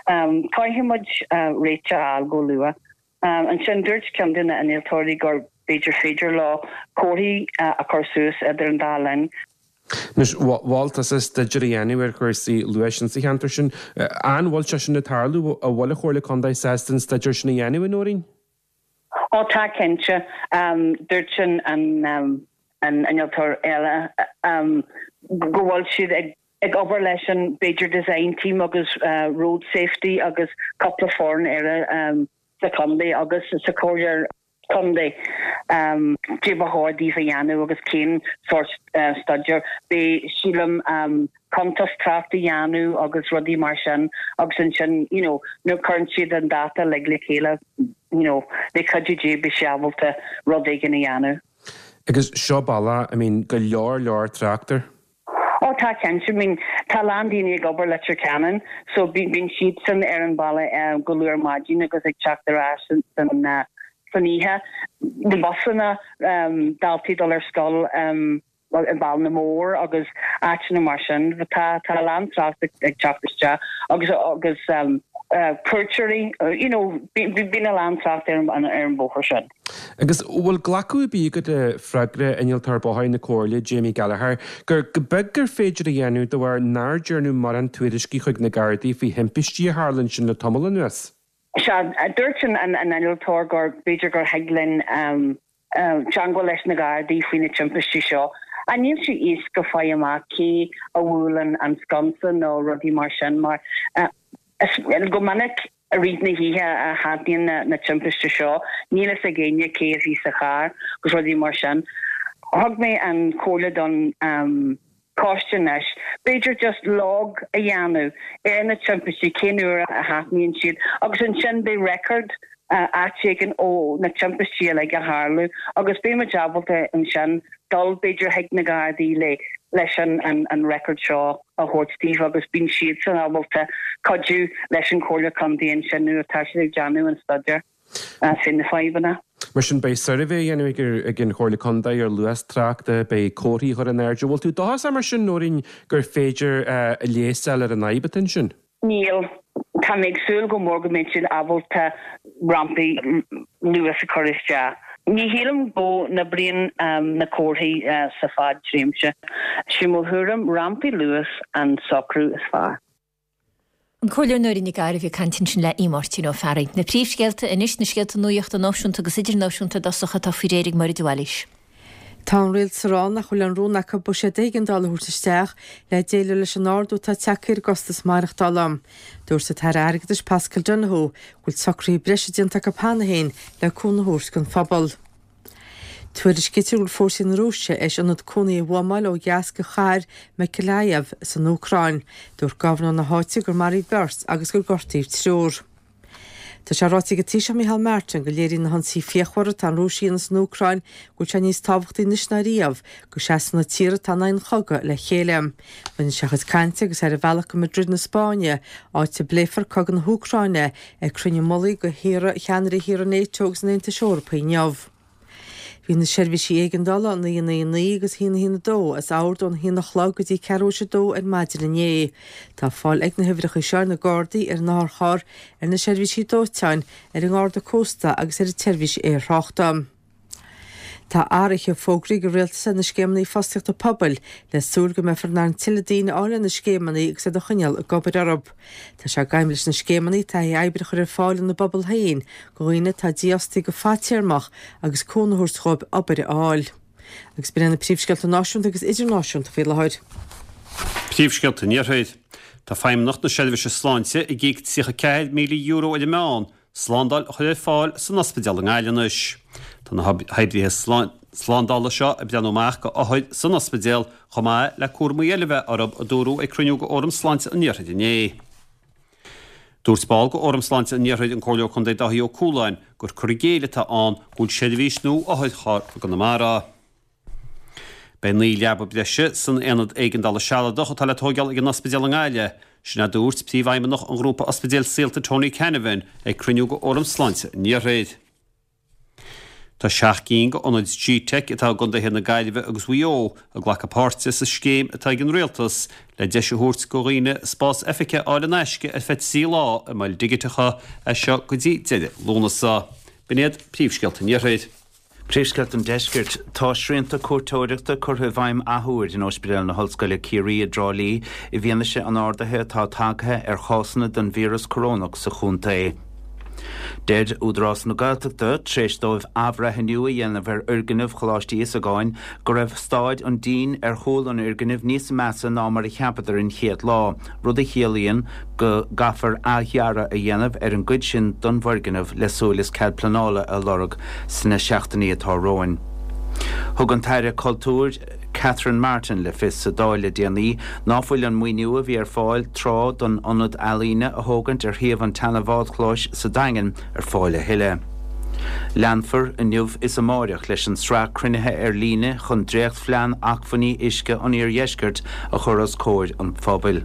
Speaker 10: Caithfidh muid réiteach a fháil go luath. Ansin dúirt ceann de na innealtóirí gur b'fhéidir féidir leo comharthaí a chur suas idir an dá linn.
Speaker 11: Anois, mhol tusa staidéar a dhéanamh ar chúrsaí luais insa cheantar sin. An bhfuil sé sin ag tarlú? An bhfuil an Chomhairle Contae sásta an staidéar sin a dhéanamh, a Nóirín?
Speaker 10: Ó tá cinnte. Dúirt an innealtóir eile go bhfuil siad ag ag obair leis an b'fhéidir design team agus road safety agus cúpla foireann eile sa chontae agus sa chomhairle contae cé ba chóir daoibh a dhéanamh agus cén sórt staidéir. Beidh sílim cuntas trácht a dhéanamh agus rudaí mar sin agus ansin you know nuair cuireann siad an data uilig le chéile you know le cuidiú Dé beidh sé ábalta rud éigin a dhéanamh.
Speaker 11: Agus seo bealach I mean go leor leor trácht air.
Speaker 10: Ó tá cinnte, I mean tá a lán daoine ag obair Leitir Ceanainn so bíonn siadsan ar an bhealach go luath ar maidin agus ag teacht ar ais san san oíche. Na busanna, daltaí ag dul ar scoil i mBallinamore agus áiteanna mar sin. Tá tá a lán trácht ag teacht isteach agus agus cuairteoirí, you know bíonn a lán trácht ar an bhóthar sin.
Speaker 11: Agus an bhfuil glacadh ar bith agat le freagra Innealtóir Bóthair na Comhairle, Jamie Gallagher, gur go beag gur féidir a dhéanamh de bharr nár dearnadh morán tuairiscí chuig na Gardaí faoi thimpistí a tharla ansin le tamall anuas?
Speaker 10: Sea, dúirt an innealtóir gur b'fhéidir gur thig linn teangmháil leis na Gardaí faoi na timpistí seo. Ach níl sé éasca fáil amach cé a bhuaileann an sconsa nó rudaí mar sin mar go minic I rith na hoíche a tharlaíonn na timpiste seo. Níl fhios ag éinne cé a bhí sa charr agus rudaí mar sin. Thug mé an chomhairle don choiste anois, b'fhéidir just log a dhéanamh ar na timpistí, cén uair a tharlaíonn siad agus ansin beidh record áit éigin ó na timpistí uilig a tharlú agus beidh muid ábalta ansin dul b'fhéidir chuig na Gardaí le leis an an record seo a thabhairt daoibh agus bíonn siadsan ábalta cuidiú leis an Chomhairle Contae ansin nuair atá siad ag déanamh an staidéar fé na fadhbanna.
Speaker 11: Mar sin beidh suirbhé á dhéanamh ag an Chomhairle Contae ar luas tráchta, beidh comharthaí á gcur in airde. Bhfuil tú dóchasach mar sin, Nóirín, gur féidir leigheas a fháil ar an fhadhb atá ansin?
Speaker 10: Níl. Tá mé ag súil go mór go mbeidh siad ábalta rampaí luas a chur isteach. Ní shílim go n-oibríonn na comharthaí sa fad tréimse. Sé mo thuairim, rampaí luas an socrú is fearr.
Speaker 1: An Comhairleoir Nóirín Nic Gairbheith ag caint ansin le Aodh Máirtín Ó Fearraigh. Na príomhscéalta anois, na scéalta nuachta náisiúnta agus idirnáisiúnta i dtosach atá faoi réir ag Máire de Bhailís.
Speaker 2: Tá an rialtas ag rá nach bhfuil aon rún acu buiséad éigeandála a thabhairt isteach le déileáil leis an ardú atá tagtha ar an gcostas maireachtála. Dúirt an tAire Airgeadais Paschal Donohoe go bhfuil socruithe breise déanta acu cheana féin le cúnamh a thabhairt don phobal. Tuairiscítear go bhfuil fórsaí na Rúise théis ionad cónaithe a bhuamáil ó dheas de chathair Mykolaiv san Úcráin. Dúirt gobharnóir na háite gur maraíodh beirt agus gur gortaíodh triúr. Tá sé ráite ag an Taoiseach Micheál Martin go léiríonn na hionsaithe fíochmhara atá an Rúis a dhéanamh san Úcráin go bhfuil sé níos tábhachtaí anois ná riamh go seasfadh na tíortha atá in aghaidh an chogaidh le chéile. Rinne sé a chuid cainte agus é ar a bhealach go Madrid na Spáinne, áit a bpléifear cogadh na hÚcráine ag cruinniú mullaigh de thíortha cheannairí thíortha NATO agus an Aontais Eorpaigh inniu. Bhí na seirbhísí éigeandála 999 agus 112 as ord ón haon a chlog go dtí ceathrú théis a dó ar maidin inné. Tá fáil ag na huimhreacha seo ar na Gardaí, ar an otharcharr, ar na seirbhísí dóiteáin, ar an nGarda Cósta agus ar an tseirbhís aerthráchta. Tá athruithe fógraithe ag an Rialtas ar na scéimeanna fostaíochta pobail le súil go mbeifear in ann tuilleadh daoine a fháil ar na scéimeanna agus iad a choinneáil ag obair orthu. Tá sé d'aidhm leis na scéimeanna taithí oibre a chur ar fáil ina bpobal féin do dhaoine atá dífhostaithe go fadtéarmach agus cúnamh a thabhairt dhóibh obair a fháil. Agus b'in iad na príomhscéalta náisiúnta agus idirnáisiúnta faoi láthair.
Speaker 3: Príomhscéalta an Iarthair. Tá Feidhmeannacht na Seirbhíse Sláinte ag íoc €34,000 ar an meán slándáil a chur ar fáil san ospidéal i nGaillimh anois. Tá na hoibrithe slándála seo ag breathnú amach go othair san ospidéal chomh maith le cúramaí eile a bheith orthu, a dúradh ag cruinniú de Fhóram Sláinte an Iarthair inné. Dúirt ball de Fhóram Sláinte an Iarthair, an Comhairleoir Contae Dáithí Ó Cualáin, gur cur i gcéill atá ann go bhfuil seirbhís nua otharcharr i gConamara. Beidh 9 leaba breise san aonad éigeandála sealadach atá le tóigeáil ag an ospidéal i nGaillimh, sin a dúirt Príomhfheidhmeannach an Ghrúpa Ospidéil Saolta Tony Canavan ag cruinniú de Fhóram Sláinte an Iarthair. Tá 7 gcinn de ionaid G-Teic atá i gcontaetha na Gaillimhe agus Mhaigh Eo ag glacadh páirte sa scéim atá ag an Rialtas le deis a thabhairt do dhaoine spás oifige a fháil in aisce ar feadh 3 lá i moil dhigiteacha as seo go dtí deireadh Lúnasa. B'in iad príomhscéalta an Iarthair.
Speaker 4: Príomhscéalta an Deiscirt. Tá srianta cuairteoireachta curtha i bhfeidhm athuair in Ospidéal na hOllscoile Ciarraí i dTrá Lí i bhfianaise an ardaithe atá tagtha ar chásanna den víreas corónach sa chontae. Deir Údarás na Gaeltachta, tar éis dóibh athbhreithniú a dhéanamh ar fhoirgneamh Choláiste Íosagáin, go raibh staid an dín ar chúl an fhoirgnimh níos measa ná mar a cheapadar an chéad lá. rud a chiallaíonn go gcaithfear athdhearadh a dhéanamh ar an gcuid sin den bhfoirgneamh le súil is cead pleanála a lorg sna seachtainí atá romhainn. Thug an tAire Cultúir Catherine Martin le fios sa Dáil le déanaí ná fuil an maoiniú a bhí ar fáil tráth don ionad ealaíne a thógaint ar shuíomh an tseana-bhádchlóis sa Daingean ar fáil a thuilleadh. Leanfar inniu is amáireach leis an sraith cruinnithe ar líne chun dréachtphlean acmhainní uisce an Iardheiscirt a chur os comhair an phobail.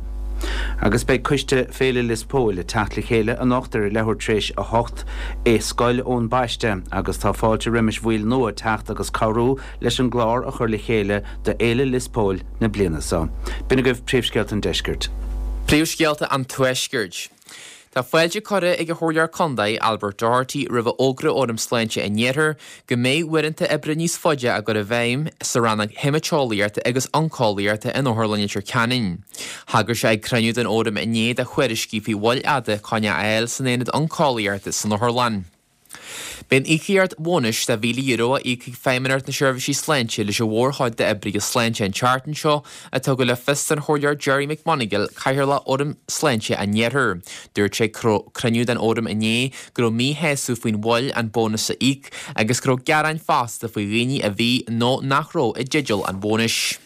Speaker 4: Agus beidh coiste Féile Lios Póil ag teacht le chéile anocht ar a leathuair tar éis 8 i Scoil Eoin Baiste agus tá fáilte roimis bhaill nua teacht agus cabhrú leis an gclár a chur le chéile do Fhéile Lios Póil na bliana seo. B'in agaibh Príomhscéalta an Deiscirt.
Speaker 5: Príomhscéalta an Tuaiscirt. Tá fáilte curtha ag an Chomhairleoir Contae, Albert Doherty, roimh a fhógra ó Fhóram Sláinte an Iarthair go mbeidh uaireanta oibre níos faide á gcur i bhfeidhm sa rannóg haemaiteolaíochta agus oncólaíochta in Otharlann Leitir Ceanainn. Thagair sé ag cruinniú den Fhóram inné do thuairiscí faoi mhoill fhada coinne a fháil san aonad oncólaíochta san otharlann. Beidh an íocaíocht bhónais de €1,000 a íocfaidh Feidhmeannacht na Seirbhísí Sláinte leis an mhórchuid d'oibrithe sláinte an tseachtain seo, a tugadh le fios don Chomhairleoir Gerry McMonagall, Cathaoirleach Fhóram Sláinte an Iarthair. Dúirt sé ag cruinniú den Fhóram inné go raibh míshásamh faoin mhoill an bónas a íoc agus go raibh gearáin fosta faoi dhaoine a bhí nó nach raibh i dteideal an bhónais.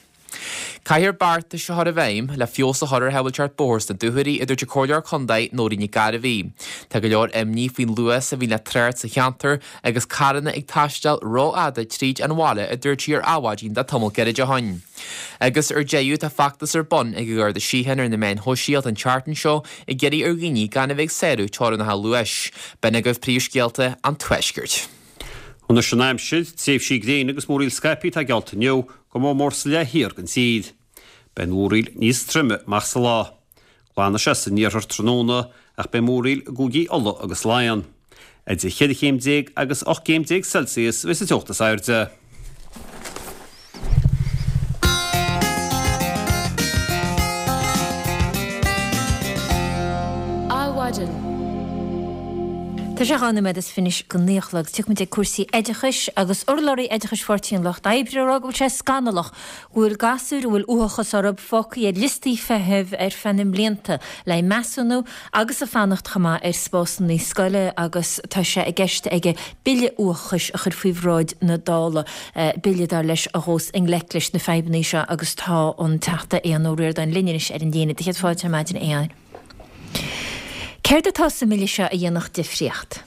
Speaker 5: Caithfear beartais a chur i bhfeidhm le feabhas a chur ar shábháilteacht bóthair sna dúchoirí, a dúirt an Comhairleoir Contae Nóirín Nic Gairbhí. Tá go leor imní faoin luas a bhíonn le trácht sa cheantar agus carranna ag taisteal rófhada tríd an bhaile, a dúirt sí ar Adhmhaidin le tamall gairid ó shin. Agus ar deireadh, tá feachtas ar bun ag an Gharda Síochána ar na meáin shóisialta an tseachtain seo ag iarraidh ar dhaoine gan a bheith ag sárú teorainneacha luais. B'in agaibh príomhscéalta an Tuaiscirt.
Speaker 3: Anois an aimsir, tréimhsí gréine agus múraíl scaipthe atá geallta inniu, go mór mór sa leath thiar den tír. Beidh an mhúraíl níos troime amach sa lá. Glanfaidh sé san iarthar tráthnóna ach beidh múraíl i gcúigí Uladh agus Laighean. Idir cheithre chéim déag agus 18 gcéim Celsius a bheas an teocht is airde.
Speaker 1: Adhmhaidin. Tá sé 2 nóiméad is fiche go 9 a chlog. Tiocfaidh muid ag cúrsaí oideachais agus urlabhraí oideachais Pháirtí an Lucht Oibre ag rá go bhfuil sé scannalach go bhfuil gasúir a bhfuil uathachas orthu fágtha ar liostaí feithimh ar feadh na mblianta le haghaidh measúnú agus ag fanacht chomh maith ar spásanna scoile agus tá sé i gceist aige bille uathachais a chur faoi bhráid na Dála, bille dar leis a ghabhfas i ngleic leis na fadhbanna seo agus tá an Teachta Aodhán Ó Ríordáin linn anois ar an líne. Do chéad fáilte ar maidin, a Aodháin. Céard atá sa mbille seo a dhéanfadh difríocht?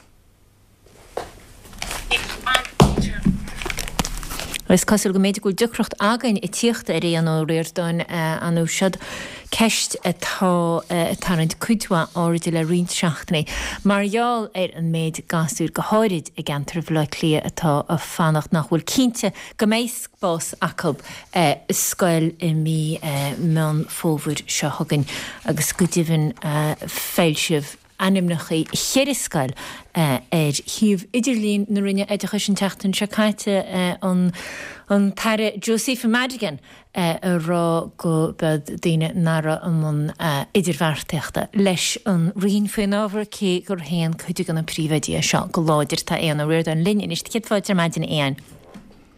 Speaker 1: Is cosúil go mb'fhéidir go bhfuil deacracht againn ag tíocht ar Aodhán Ó Ríordáin anú. Seod ceist atá ag tarraingt cuid mhaith airde le roinnt seachtainí mar gheall ar an méid gasúir, go háirid i gceantar Bhaile Átha Cliath, atá ag fanacht nach bhfuil cinnte go mbeidh spás acu i scoil i mí Meán Fómhair seo chugainn agus go deimhin foilsíodh. Ainmneacha cheithre scoil ar shuíomh idirlín na Roinne Oideachais an tseachtain seo caite, an an tAire Josepha Madigan ag rá go b'iad daoine nach raibh i mbun idirbheartaíochta leis an Roinn faoin ábhar, cé gur shéan cuid de na príomhoidí é seo go láidir. Tá Aodhán Ó Ríordáin linn anois. Céad fáilte ar maidin, a Aodháin.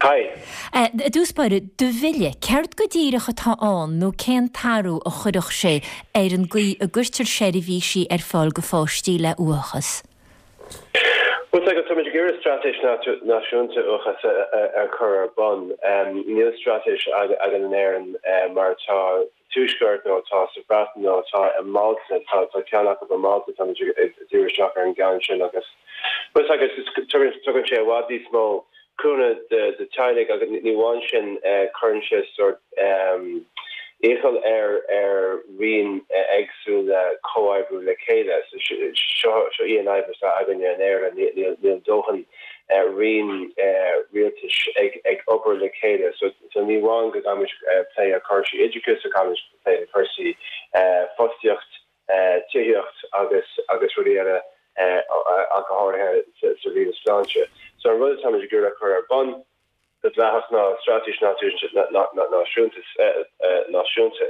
Speaker 12: Hi.
Speaker 1: I dtús báire, do bhille, céard go díreach atá ann nó cén t-athrú a chuirfeadh sé ar an gcaoi a gcuirtear seirbhísí ar fáil go pháistí le uathachas?
Speaker 12: Bhuel, tá táimid ag iarraidh straitéis náisiúnta uathachais a chur ar bun. Níl straitéis againn in Éirinn mar atá sa Tuaisceart nó atá sa Bhreatain nó atá i Málta. Tá ceann acu i Málta, táimid ag díriú isteach ar an gceann sin agus bhuel agus tugann sé i bhfad níos mó cúnamh do teaghlaigh agus ní amháin sin cuireann sé sórt iachall ar ar roinn éagsúla comhoibriú le chéile. So seo seo í an fhadhb atá againne in Éirinn, níl níl dóthain roinn rialtais ag ag obair le chéile. So so ní amháin go gcaithfimid plé ar cúrsaí oideachais, caithfimid plé ar cúrsaí fostaíocht, tithíocht agus agus rudaí eile ach go háirithe sa roinn sláinte. So an rud atáimid ag iarraidh a chur ar bun go dleathach ná straitéis náisiúnta náisiúnta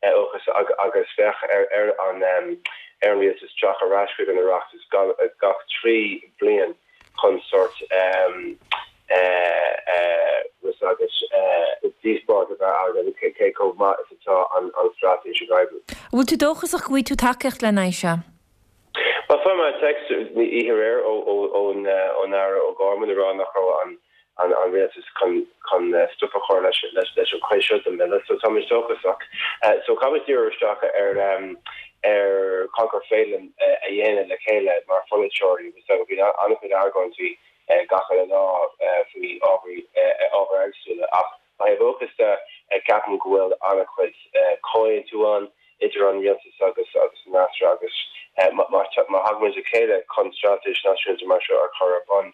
Speaker 12: uathachais agus bheadh ar ar an ar an rialtas teacht ar ais chuig an Oireachtas gach 3 bliain chun sórt agus díospóireacht a bheith againn cé chomh maith is atá an straitéis ag oibriú.
Speaker 1: An bhfuil tú dóchasach go bhfaighidh tú tacaíocht lena aghaidh seo?
Speaker 12: Bhuel, fuair mé téacs oíche aréir ón Aire O'Gorman ag rá nach raibh an an rialtas chun chun stop a chur leis leis an chuid seo den bhille. So táimid dóchasach. So caithfimid díriú isteach ar ar Conchúr Phelan a dhéanamh le chéile mar pholaiteoirí agus so bhí an-chuid argóintí gach uile lá faoi ábhair ábhair éagsúla ach Ó thaobh uathachas de, ceapaim go bhfuil an-chuid comhaontú ann idir an rialtas agus an fhreasúra agus má thagaimid le chéile chun straitéis náisiúnta mar seo a chur ar bun,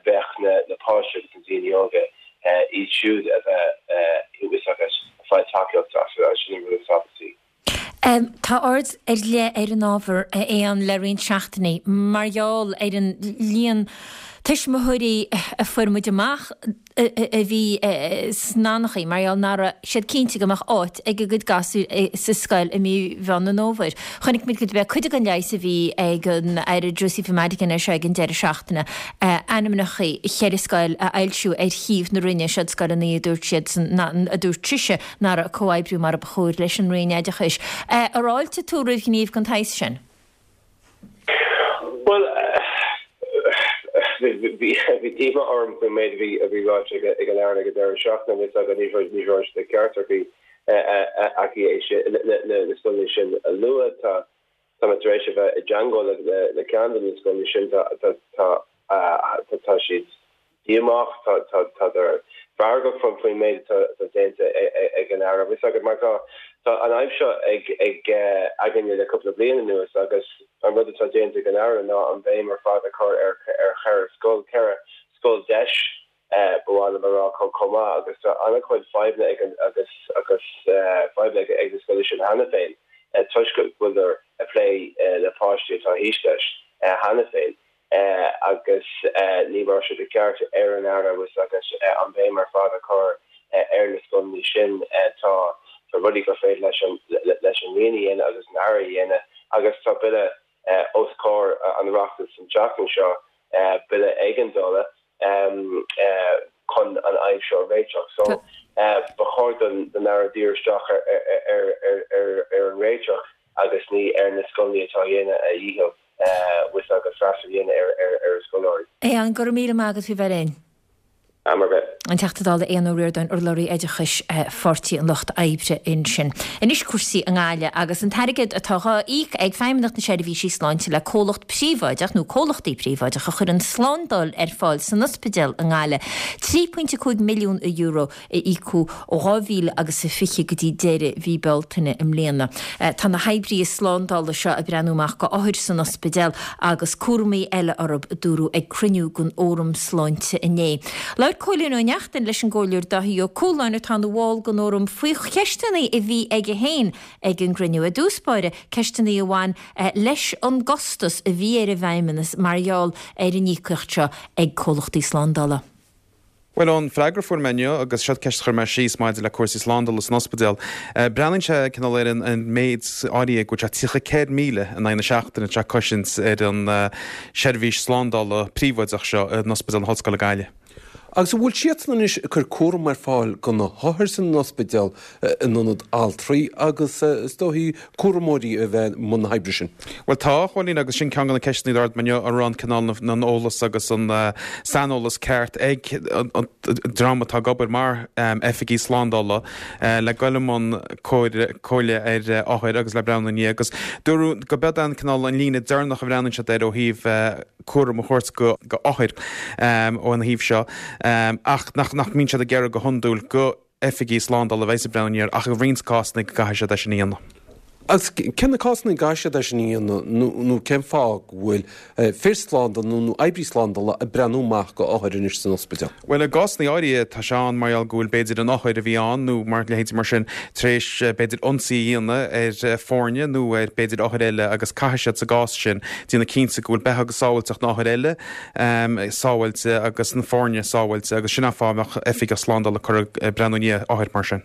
Speaker 12: bheadh na páistí agus na daoine óga, iad siúd a bheith agus ag fáil tacaíocht as, sin an rud is tábhachtaí.
Speaker 1: Tá aird ar leith ar an ábhar, a Aodháin, le roinnt seachtainí mar gheall ar an líon tuismitheoirí a fuair muid amach a bhí sna anchaoi mar gheall nach raibh siad cinnte go mbeadh áit ag a gcuid gasúir sa scoil i mí Mheán an Fhómhair. Chonaic muid gurb é cuid den leigheas a bhí ag an Aire Josepha Madigan air seo ag an deireadh seachtaine, ainmneacha cheithre scoil a fhoilsiú ar shuíomh na Roinne, siod scoileanna a dúirt siadsan, a dúirt sise, nach raibh ag comhoibriú mar a ba chóir leis an Roinn Oideachais. Ar fháiltigh tú roimh ghníomh den tsaghas sin?
Speaker 12: Bhuel, bhí díomá orm faoin méid a bhí ráite ag an Aire ag an deireadh seachtaine. Tá a fhios agat, ní raibh sé de cheart aici é sin, na scoileanna sin a lua. Tá Tá mé tar éis a bheith i dteangmháil le ceann de na scoileanna sin. Tá siad díomách, tádar feargach faoin méid atá déanta ag an Aire. Bhfuil a fhios agat, mar tá an fhadhb seo ag againne le cúpla bliain anuas agus an rud atá déanta ag an Aire ná an bhéim ar fad a chur ar cheithre scoil, ceithre scoil deis ba mhaith liom a rá chomh maith agus tá an-chuid fadhbanna ag an agus agus fadhbanna ag ag na scoileanna sin cheana féin toisc go bhfuileadar ag plé le páistí atá thíos leis cheana féin agus ní raibh sé de cheart ar an Aire agus agus an bhéim ar fad a chur ar na scoileanna sin. Tá tá rudaí gur féidir leis an leis an Roinn a dhéanamh agus an Aire a dhéanamh agus tá bille os comhair an Oireachtais an tseachtain seo, bille éigeandála chun an fhadhb seo a réiteach. So, ba chóir don Aire díriú isteach ar an réiteach agus ní ar na scoileanna atá ag déanamh a dhícheall agus freastal a dhéanamh ar a scoláirí.
Speaker 1: Aodhán, go raibh míle maith agat faoi bheith linn.
Speaker 12: Am ar bith.
Speaker 1: An Teachta Dála Aodhán Ó Ríordáin, urlabhraí oideachais Pháirtí an Lucht Oibre ansin. Anois cúrsaí i nGaillimh agus an t-airgead atá dhá íoc ag Feidhmeannacht na Seirbhísí Sláinte le comhlacht príobháideach nó comhlachtaí príobháideacha a chuireann slándáil ar fáil san ospidéal i nGaillimh. €3.5 milliún a íocadh ó 2000 agus a 20 go dtí deireadh mhí Bealtaine i mbliana. Tá na hoibrithe slándála seo ag breathnú amach go othair san ospidéal agus cúramaí eile orthu, a dúradh ag cruinniú den Fhóram Sláinte inné. Labhair Cóilín Ó Neachtain leis an gComhairleoir Dáithí Ó Cualáin atá ina bhall den fhóram faoi cheisteanna a bhí aige féin ag an gcruinniú. I dtús báire, ceisteanna a bhain leis an gcostas a bhí ar an bhFeidhmeannas mar gheall ar an íocaíocht seo ag comhlachtaí slándála.
Speaker 13: Bhuel, ón freagra a fuair mé inniu, agus seo ceist a chuir mé síos maidir le cúrsaí slándála san ospidéal, breathnaíonn sé cineál ar an méid áirithe go bhfuil sé 34,000 in aghaidh na seachtaine atá sé ag cosaint ar an seirbhís slándála príobháideach seo in Ospidéal na hOllscoile Gaillimh.
Speaker 14: Agus an bhfuil siadsan anois ag cur cúram ar fáil do na hothair san ospidéal in ionad altraí agus is dóichí cúramóirí a bheith i mbun na hoibre sin?
Speaker 13: Bhuel tá, a Chóilín, agus sin ceann de na ceisteanna a d'ardaigh mé inniu, an raibh an cineál an eolas agus an saineolas ceart ag an dream atá ag obair mar oifigigh slándála le goil i mbun comhairle ar othair agus le breathnú ina ndiaidh agus dúradh go b'iod an cineál an líne deireanach a bhreathnaíonn siad air ó thaobh cúram a thabhairt go othair ón thaobh seo ach nach mbíonn siad ag iarraidh go hiondúil go oifigigh slándála a bheas ag breathnú air ach i roinnt cásanna go gcaithfidh siad é sin a dhéanamh.
Speaker 14: Agus cé na cásanna a gcaithfidh siad é sin a dhéanamh nó cén fáth go bhfuil fir slándála nó oibrí slándála ag breathnú amach go othair anois san ospidéal?
Speaker 13: Bhuel, i gcásanna áirithe tá sé ann mar gheall go bhfuil b'fhéidir an othar a bhí ann nó mar leithéidí mar sin tar éis b'fhéidir ionsaí a dhéanamh ar foirne nó ar b'fhéidir othair eile agus caithfidh siad sa gcás sin déanamh cinnte go bhfuil beatha agus sábháilteacht na othair eile sábháilte agus na foirne sábháilte agus sin an fáth a mbeadh oifigeach slándála curtha ag breathnú i ndiaidh othair mar sin.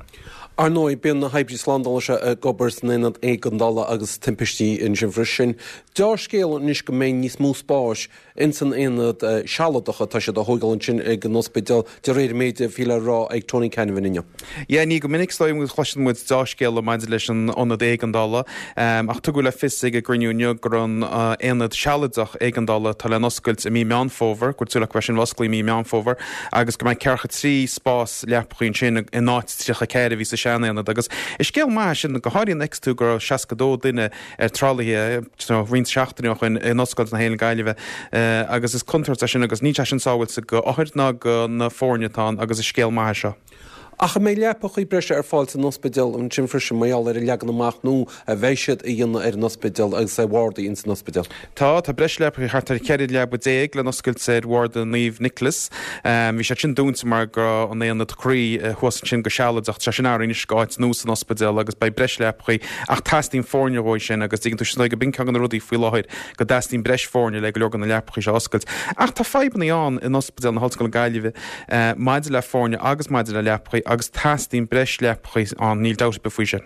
Speaker 14: Ar ndóigh, bíonn na hoibrí slándála seo ag obair san aonad éigeandála agus timpistí ansin freisin. Deá-scéal anois go mbeidh níos mó spáis ins an aonad sealadach atá siad a thóigeáil ansin ag an ospidéal, de réir an méid a bhí le rá ag Tony Canavan inniu.
Speaker 13: Yeah, ní go minic is dóigh a chloiseann muid deá-scéala maidir leis an ionad éigeandála, ach tugadh le fios ag an gcruinniú inniu go raibh an aonad sealadach éigeandála atá le n-oscailt i mí Meán Fómhair, go bhfuil súil acu go mbeidh sin osclaithe i mí Meán Fómhair, agus go mbeidh ceathracha 3 spás leapachaí ansin in áit 34 a bhí sa sean-aonad. Agus is scéal maith é sin, go háirithe nuair a fheiceas tú go raibh 62 duine ar tralaithe roinnt seachtainí ó shoin in Ollscoil na hÉireann Gaillimhe agus is contúirt é sin agus níl sé sin sábháilte go othair ná go na foirne atá ann agus is scéal maith é seo.
Speaker 14: Ach an mbeidh leapachaí breise ar fáil san ospidéal ansin freisin mar gheall ar an leagan amach nua a bheidh siad a dhéanamh ar an ospidéal agus ar bhardaí ins an ospidéal?
Speaker 13: Tá, tá breis leapachaí thart ar 14 leaba le n-oscailt ar bharda Naomh Nicholas. Bhí siad sin dúnta mar go raibh an aonad croí thuas ansin go sealadach. Tá sé sin athraithe anois go áit nua san ospidéal agus beidh breis leapachaí ach teastaíonn foirne dhóibh sin agus tuigeann tú sin go b'in ceann de na rudaí faoi láthair go dteastaíonn breis foirne le go leor de na leapachaí seo a oscailt. Ach tá fadhbanna ann in Ospidéal na hOllscoile Gaillimhe maidir le foirne agus maidir le leapachaí agus teastaíonn breis leapachaí ann, níl dabht ar bith faoi sin.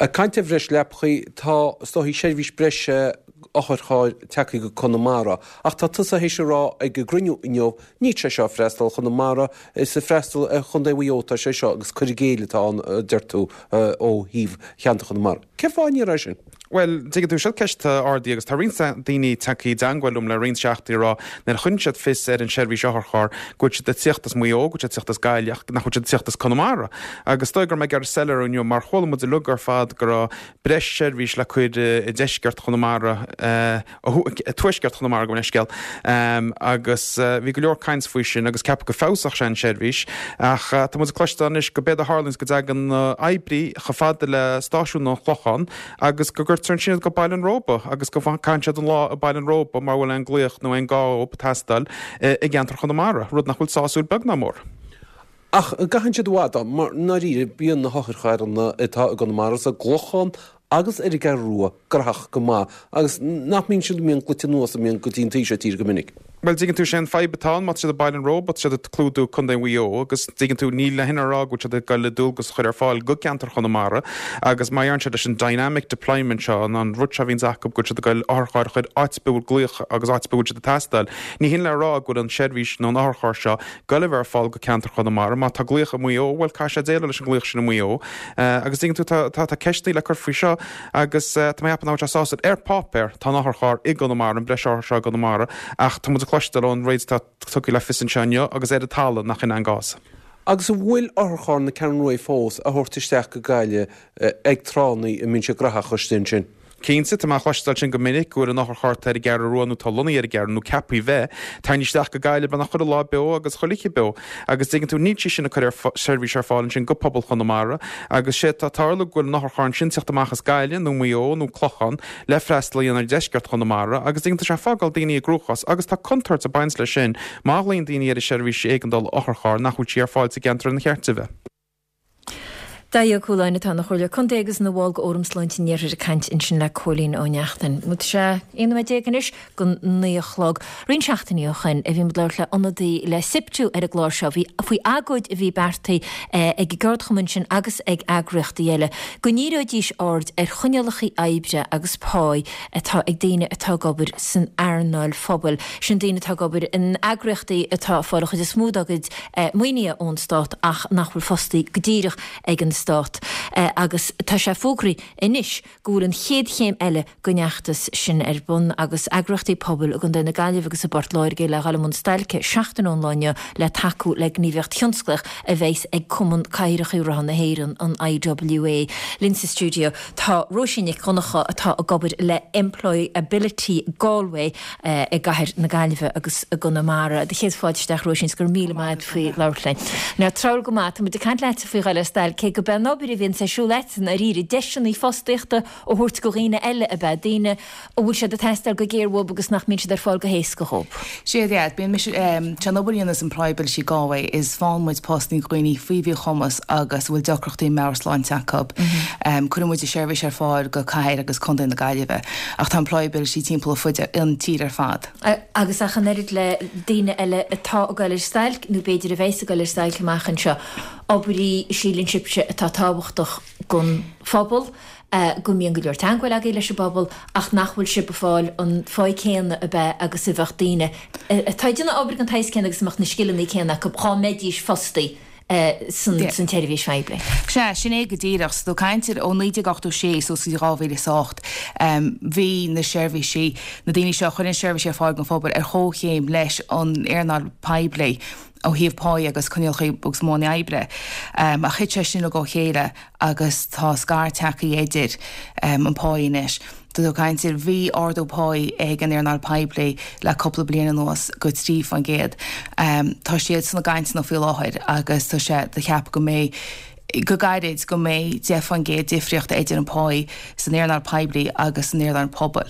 Speaker 14: Ag caint ar bhreis leapachaí, tá is dóichí seirbhís breise otharchairr tagtha go Conamara ach tá tusa théis a rá ag an gcruinniú inniu níl sé seo ag freastal ar Chonamara, is ag freastal ar Chontae Mhaigh Eo atá sé seo agus cur i gcéill atá ann a deir tú ó thaobh cheantar Chonamara. Cén fáth a ndéarfá é sin?
Speaker 13: Bhuel, tuigeann tú, seo ceist atá ardaithe agus tá roinnt daoine tagtha i dteangmháil liom le roinnt seachtainí ag rá nuair a chuireann siad fios ar an seirbhís otharcharr go bhfuil siad ag tíocht as Maigh Eo, go bhfuil siad ag tíocht as Gaillimh ach nach bhfuil siad ag tíocht as Conamara. Agus is dóigh go raibh mé ag iarraidh soiléiriú inniu mar chuala muid uilig ar fad go raibh breis seirbhís le cur i deisceart Chonamara, tuaisceart Chonamara gabh mo leithscéal, agus bhí go leor caint faoi sin agus ceapadh go feabhsódh sé an seirbhís ach tá muid ag cloisteáil anois go b'éard a tharlaíonns go dtagann na oibrí chomh fada le stáisiún an Chlocháin agus go gcuirtear ansin iad go Baile an Róba agus go gcaitheann siad an lá i Baile an Róba mura bhfuil aon glaoch nó aon gá ag teastáil i gceantar Chonamara, rud nach bhfuil sásúil beag ná mór.
Speaker 14: Ach an gcaitheann siad i bhfad ann? Mar i ndáiríre, bíonn na hotharcharranna atá i gConamara sa gClochán agus ar an gCeathrú Rua graitheach go maith agus nach mbíonn siad, mbíonn glaoite anuas, a mbíonn go dtí an taobh seo tíre go minic.
Speaker 13: Bhuel, dtuigeann tú, sé an fadhb atá ann, má tá siad i Baile an Róba, tá siad ag clúdú Contae Mhaigh Eo agus dtuigeann tú, ní hin a rá go bhfuil siad ag goil le dualgas a chur ar fáil go ceantar Chonamara agus má deireann siad leis an dynamic deployment seo, an rud seo a bhíonns acu go bhfuil siad ag goil otharcharr a chur áit ar bith a bhfuil glaoch agus áit ar bith a bhfuil siad ag teastáil, ní hin le rá go bhfuil an seirbhís nó an otharcharr seo goil a bheith ar fáil go ceantar Chonamara. Má tá glaoch i Maigh Eo, bhuel, caithfidh sé déileáil leis an nglaoch sin i Maigh Eo. Agus tuigeann tú, tá, tá, tá ceisteanna le cur faoi seo agus tá mé ag ceapadh nach bhfuil sé sásúil. Ar páipéar, tá an otharcharr i gConamara, an breis otharcharr seo i gConamara, ach tá muid ag cloisteáil ón méid atá tugtha le fios anseo inniu agus ar an talamh nach in é an gcás.
Speaker 14: Agus an bhfuil otharcharr na Ceathrún Rua fós á thabhairt isteach go Gaillimh ag tráthanna a mbíonn sé graitheach istigh ansin?
Speaker 13: Cinnte, tá mé a chloisteáil sin go minic, go bhfuil an otharcharr atá ar an gCeathrú Rua nó atá lonnaithe ar an gCeathrú nó ceaptha bheith, tarraingthe isteach go Gaillimh beagnach chuile lá beo agus chuile oíche beo. Agus dtuigeann tú, níl sí sin ag cur ar seirbhís ar fáil ansin go pobal Chonamara agus sé atá ag tarlú go bhfuil an otharcharr ansin teacht amach as Gaillimh nó Maigh Eo nó Clochán le freastal a dhéanamh ar dheisceart Chonamara agus dtuigeann tú tá sé ag fágáil daoine i gcruachás agus tá contúirt ag baint leis sin má ghlaonn daoine ar an seirbhís éigeandála otharcharr nach bhfuil sí ar fáil sa gceantar ina cheart di bheith.
Speaker 1: Dáithí Ó Cualáin atá ina Chomhairleoir Contae agus ina bhall de Fhóram Sláinte an Iarthair ag caint ansin le Cóilín Ó Neachtain. Tá sé 11 nóiméad anois go 9 a chlog. Roinnt seachtainí ó shoin a bhí muid ag labhairt le ionadaí le SIPTU ar an gclár seo. Bhí faoi agóid a bhí beartaithe ag an gceardchumann sin agus ag eagraíochtaí eile go ndíreoidís aird ar choinníollacha oibre agus páí atá ag daoine atá ag obair san earnáil phobail. Sin daoine atá ag obair in eagraíochtaí atá ag fáil an chuid is mó dá gcuid maoinithe ón Stát ach nach bhfuil fostaithe go díreach ag an Stát agus tá sé fógraithe anois go bhfuil an chéad chéim eile den fheachtas sin ar bun agus eagraíochtaí pobail i gContae na Gaillimhe agus i bPort Láirge le dhul i mbun stailce seachtain ón lá inniu le tacú le gníomhaíocht thionsclaíoch a bheas ag Cumann Cathaoireacha Rotha na hÉireann, an IWA. Linn sa stiúideo tá Róisín Nic Dhonncha atá ag obair le Employability Galway. i gcathair na Gaillimhe agus i gConamara. Do chéad fáilte isteach Róisín 's go raibh míle maith agat faoi labhairt linn. Now treabhair go maith, tá muid ag caint leatsa faoi dhul ar stailc, cé go b'é an obair a bhíonns ar siúl agat i ndáiríre, deiseanna fostaíochta a thabhairt go dhaoine eile ab ea, daoine a bhfuil siad ag teastáil go géar uathub agus nach mbíonn siad ar fáil go héasca dhób.
Speaker 15: Sea, yeah, bíonn mise, sé an obair a dhéanas Employability Galway is faigheann muid postanna do dhaoine faoi mhíchumas agus a bhfuil deacrachtaí meabhairshláinte acu. Cuireann muid an seirbhís ar fáil go cathair agus contae na Gaillimhe. Ach tá Employability timpeall ar fud an tír ar fad.
Speaker 1: Agus ach an oiread le daoine eile atá ag goil ar stailc, nó b'fhéidir a bheas ag goil ar stailc amach anseo, obair í, síleann sibhse, atá tábhachtach don phobal, go mbíonn go leor teagmháil agaibh leis an bpobal, ach nach bhfuil sibh ag fáil an pháí céanna ab ea agus a bheadh daoine atá ag déanamh obair den tsaghas céanna agus a mbeadh na scileanna céanna acu dhá mbeidís fostaithe san tseirbhís phoiblí.
Speaker 15: Sea, sin é go díreach. So, caint ar ó 1986 suas go dtí 2008, bhí na seirbhísí, na daoine seo a chuireann seirbhísí ar fáil don phobal ar chomhchéim leis an earnáil poiblí ó thaobh páí agus coinníollacha agus modhanna oibre. Ach thit sé sin uilig ó chéile agus tá scair tagtha idir an páí anois. Tá tú ag caint ar, bhí ardú páí ag an earnáil poiblí le cúpla bliain anuas go 3%. Tá siad sna gcainteanna faoi láthair agus tá sé á cheapadh go mbeidh, go gairid, go mbeidh 10% difríocht idir an páí san earnáil poiblí agus san earnáil pobail.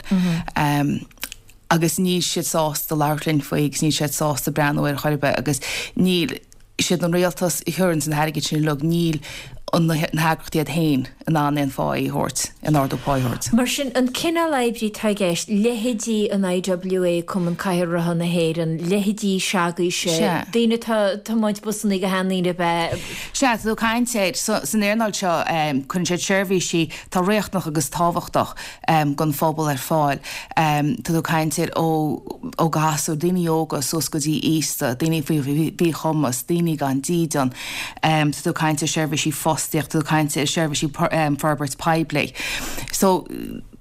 Speaker 15: Agus níl siad sásta labhairt linn faoi agus níl siad sásta breathnú air chor ar bith agus níl, siad an rialtas a chuireanns an t-airgead sin uilig, níl na heagraíochtaí iad féin in ann aon pháí a thabhairt, aon ardú páí a thabhairt.
Speaker 1: Mar sin, an cineál oibrí atá i gceist, leithéidí an IWA, Cumann Cathaoir Rotha na hÉireann, leithéidí s'agaibhse, daoine atá ag tiomáint busannaí do sheandaoine ab ea?
Speaker 15: Sea, tá tú ag caint ar, san earnáil seo, cuireann siad seirbhísí atá riachtanach agus tábhachtach don phobal ar fáil. Tá tú ag caint ar ó ó ghasúir, daoine óga suas go dtí aosta, daoine faoi mhíchumas, daoine gan dídean. Tá tú ag caint ar seirbhísí fostaíochta, tá tú ag caint ar seirbhísí forbairt poiblí. So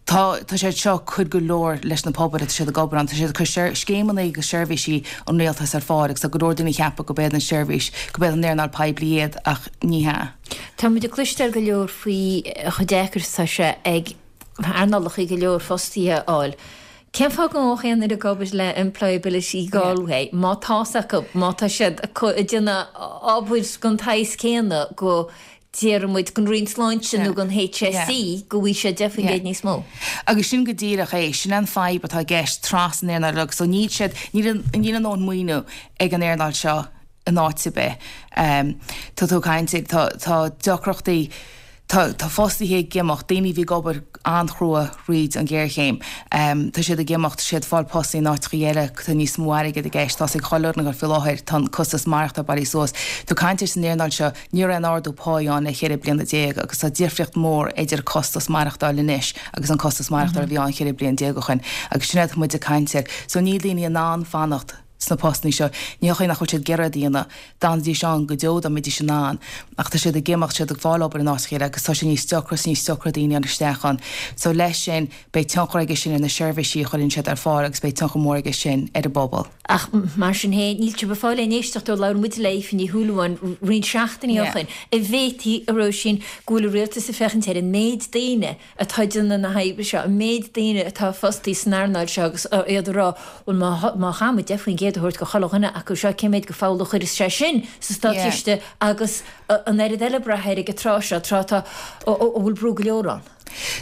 Speaker 15: tá tá siad seo ag cur go leor leis na pobail atá siad ag obair ann. Tá siad ag cur scéimeanna agus seirbhísí an rialtais ar fáil agus tá go leor daoine ag ceapadh go b'iad an seirbhís, go b'iad an earnáil poiblí iad ach ní hea.
Speaker 1: Tá muid ag cloisteáil go leor faoi chomh deacair is atá sé ag earnálacha go leor fostaithe a fháil. Cén fáth go ngabhfadh aon duine ag obair le Employability Galway má tá's acu, má tá siad ag déanamh obair den tsaghas céanna go, déarfaidh muid, don Roinn Sláinte nó don HSE go bhfaighidh siad 10% níos mó?
Speaker 15: Agus sin go díreach é, sin an fadhb atá i gceist trasna an earnáil uilig. So níl siad, níl a ndóthain maoiniú ag an earnáil seo in áit ar bith. Tá tú ag caint ar, tá, tá deacrachtaí, tá, tá fostaithe ag imeacht, daoine a bhí ag obair an-chrua thríd an ghéarchéim, tá siad ag imeacht, tá siad ag fáil postanna in áiteacha eile, tá níos mó airgid i gceist, tá's ag chuile dhuine faoi láthair, tá an costas maireachtála bailithe suas. Tá tú ag caint ar san earnáil seo, ní raibh aon ardú páí ann le 14 bliana agus tá difríocht mhór idir costas maireachtála anois agus an costas maireachtála a bhí ann 14 bliain ó shin agus sin é atá muid ag caint air. So níl daoine in ann fanacht. sna postanna seo. Ní hé nach bhfuil siad ag iarraidh iad a dhéanamh, d'fhanfaidís ann go deo dá mbeidís in ann, ach tá siad ag imeacht, siad ag fáil obair in áiteacha eile agus tá sé níos deacra is níos deacra daoine a fháil isteach ann. So leis sin, beidh tionchar aige sin ar na seirbhísí a chuireann siad ar fáil agus beidh tionchar mór aige sin ar an bpobal.
Speaker 1: Ach mar sin féin, níl sibh ag fáil aon éisteacht ó labhair muid le Aoife Ní Shúilleabháin roinnt seachtainí ó shin, an bhféadfaí, a Róisín, go bhfuil an rialtas ag féachaint ar an méid daoine atá ag déanamh na hoibre seo, an méid daoine atá fostaí san earnáil seo agus iad ag rá, bhuel má má chaithfidh muid 10% a thabhairt do chuile dhuine acu seo, cén méid de pholl a chuireas sé sin sa státchiste agus an oiread eile ag brath air ag an tráth seo, tráth atá, a bhfuil brú go leor ann.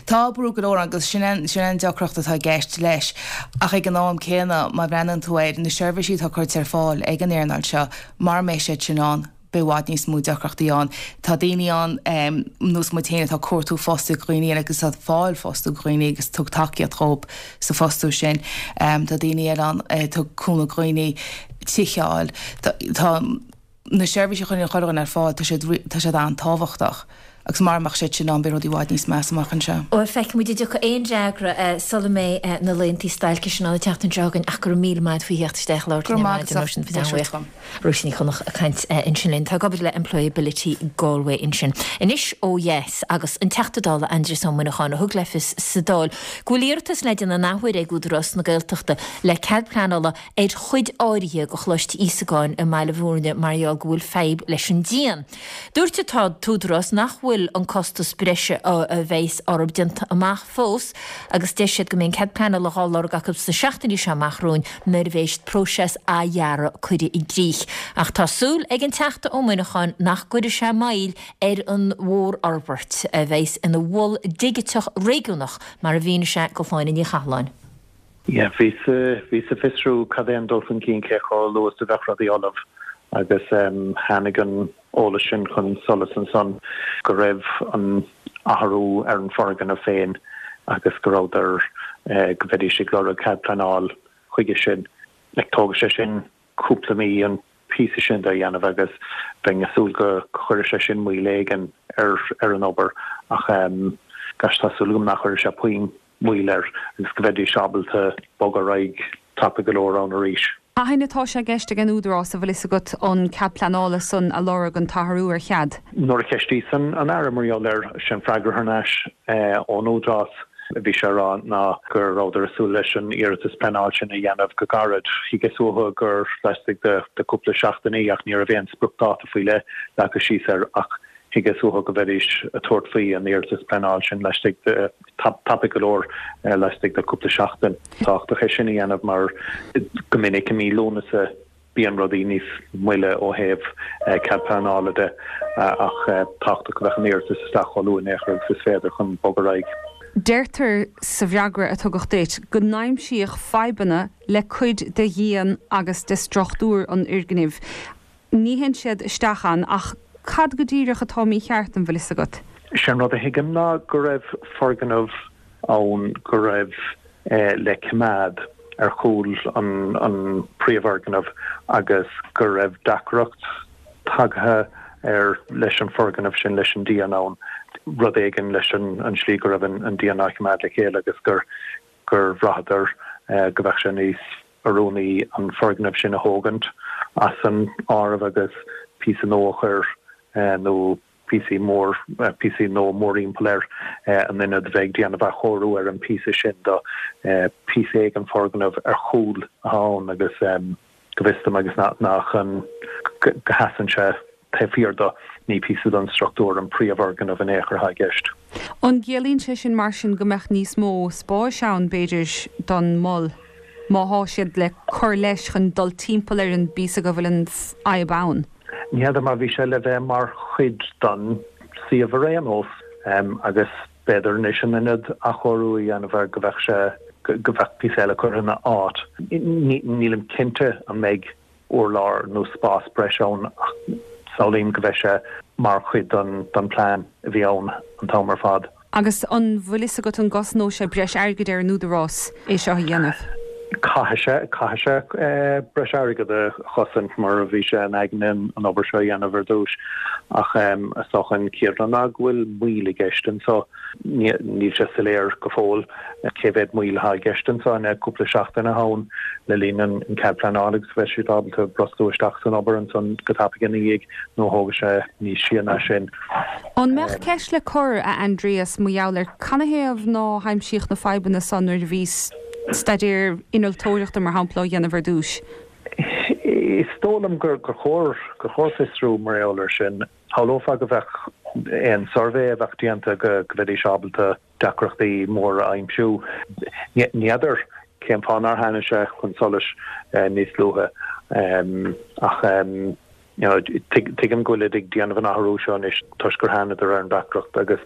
Speaker 15: Tá brú go leor ann agus sin an, sin an deacracht atá i gceist leis. Ach ag an am céanna, má bhreathnaíonn tú ar na seirbhísí atá curtha ar fáil ag an earnáil seo, mara mbeidh siad sin ann, beidh i bhfad níos mó deacrachtaí ann. Tá daoine ann, nós muid féin, atá ag cuartú fostú do dhaoine eile agus atá ag fáil fostú do dhaoine agus tug tacaíocht dhóibh sa fostú sin. Tá daoine eile ann ag tug cúnamh do dhaoine tithe a fháil. Tá na seirbhísí a chuireann chuile dhuine ar fáil, tá siad tá siad an-tábhachtach. Agus mara mbeadh siad sin ann beidh rudaí i bhfad níos measa amach anseo.
Speaker 1: Bhuel, feicfidh muid an dtiocfaidh aon fhreagra sula mbeidh na laethanta stailce sin ann an tseachtain seo chugainn ach go raibh míle maith agat faoi theacht isteach a labhairt
Speaker 15: linn ar maidin, Róisín.
Speaker 1: Bhuíoch. Róisín Ní Chonchúir ag caint ansin linn. Atá ag obair le Employability Galway ansin. Anois ó dheas agus an Teachta Dála Aindrias Ó Muineacháin a thug le fios sa Dáil go bhfuil iarratas le déanamh an athuair ag Údarás na Gaeltachta le cead pleanála ar chuid áirithe de Choláiste Íosagáin i mBaile Bhúirne mar gheall go bhfuil fadhb leis an díon. Dúirt an tÚdarás nach bhfuil an costas breise a bheas orthu déanta amach fós agus deir siad go mbeidh an cead pleanála dhá lorg acu sna seachtainí seo amach romhainn nuair a bheas próiseas athdhearaidh curtha i gcrích. Ach tá súil ag an Teachta Ó Muineacháin nach gcuirfidh sé moill ar an mhórfhorbairt, a bheas ina mhol digiteach réigiúnach, mar a mhínigh sé do Shláine Ní Chathalláin.
Speaker 16: Yeah, bhíos, bhíos ag fiosrú cad é an dul chun cinn, cé chomh luath is a bheadh rudaí ullamh agus tháinig an eolas sin chun solais ansan go raibh an athrú ar an foirgneamh féin agus go rabhadar, go mbeidís ag lorg cead pleanáil chuige sin. Like, tógfaidh sé sin cúpla mí an píosa sin de a dhéanamh agus bheinn ag súil go gcuirfidh sé sin moill éigin ar ar an obair ach gosh tá súil agam nach gcuirfidh sé puinn moill air agus go mbeidís ábalta bogadh ar aghaidh tapaidh go leor ann arís.
Speaker 17: Cathain atá sé i gceist ag an Údarás, an bhfuil fhios agat, an cead pleanála san a lorg, an t-athrú ar chead?
Speaker 16: Nuair a cheistíos an Aire mar gheall air, sé an freagra thar n-ais ón Údarás a bhí sé a rá ná go rabhadar ag súil leis an iarratas pleanáil sin a dhéanamh go gairid. Thuigeas uathu gur laistigh de cúpla seachtainí ach ní raibh aon spriocdháta faoi leith leagtha síos air ach thuigeas uathu go mbeidís ag tabhairt faoi an iarratas pleanáil sin laistigh de, tapaidh go leor, laistigh de cúpla seachtain. Tábhachtach é sin a dhéanamh mar go minic i mí Lúnasa bíonn rudaí níos moille ó thaobh cead pleanála de ach tábhachtach go mbeadh an iarratas isteach chomh luath in aon chor agus is féidir chun bogadh ar aghaidh.
Speaker 17: Deirtear sa bhfreagra a tugadh duit go n-aimsíodh fadhbanna le cuid de dhíon agus de struchtúr an fhoirgnimh. Ní théann siad isteach ann, ach cad go díreach atá mícheart, an bhfuil fhios agat?
Speaker 16: Sé an rud a thuigim ná go raibh foirgneamh ann go raibh le coimeád ar chúl an príomhfhoirgneamh agus go raibh deacracht tagtha air leis an foirgneamh sin, leis an díon ann, rud éigin leis an slí go raibh an díon á choimeád le chéile agus gur bhraitheadar go mbeadh sé níos oiriúnaí an foirgneamh sin a thógaint as an áireamh agus píosa nua a chur nó píosaí mór, píosaí nua mórthimpeall air in ionad bheith ag déanamh athchóiriú ar an bpíosa sin do píosa éigin foirgneamh ar chúl atá ann agus go bhfios dom agus nach an go sheasann sé taobh thiar do, ní píosa den struchtúr an príomhfhoirgneamh in aon chor atá i gceist.
Speaker 17: An gciallaíonn sé sin mar sin go mbeadh níos mó spáis ann, b'fhéidir, don mhol, má thá siad le cur leis chun dul timpeall ar an bpíosa go bhfuil an fhadhb ann?
Speaker 16: Ní fheadar mar bhí sé le bheith mar chuid den suíomh ar aon nós agus b'fhéidir anois in ionad athchóiriú a dhéanamh air go mbeadh sé, go mbeadh píosa eile curtha ina áit. Nílim cinnte an mbeidh urlár nó spás breise ann ach samhlaím go mbeidh sé mar chuid den plean a bhí ann an t-am ar fad.
Speaker 17: Agus an bhfuil fhios agat an gcosnóidh sé breis airgid ar an Údarás é seo a dhéanamh?
Speaker 16: Caithfidh sé, caithfidh sé breis airgead a chosaint mar a bhí sé in aigne an obair seo a dhéanamh ar dtús. Ach is dócha an chéad rud ná go bhfuil moill i gceist anso. Níl sé soiléir go fóill cé mhéad moill atá i gceist anso. An é cúpla seachtain atá ann le linn an cead pleanála agus bheidh siad ábalta brostú isteach san obair ansan go tapaidh ina dhiaidh nó thógfaidh sé níos sia ná sin.
Speaker 17: An mbeadh ceist le cur, a Aindrias, mar gheall ar canathaobh ná haimsíodh na fadhbanna san nuair a bhí staidéar innealtóireachta, mar shampla, á dhéanamh ar dtúis?
Speaker 16: Is dóigh liom gur chóir gur chóir fiosrú mar gheall air sin. Shamhlófá go mbeadh aon suirbhé a bheadh déanta go mbeidís ábalta deacrachtaí móra a aimsiú. Ní fheadar cén fáth nár tháinig sé chun solais níos luaithe ach tuigim go bhfuilid ag déanamh an athrú seo anois toisc gur thánadar ar an deacracht agus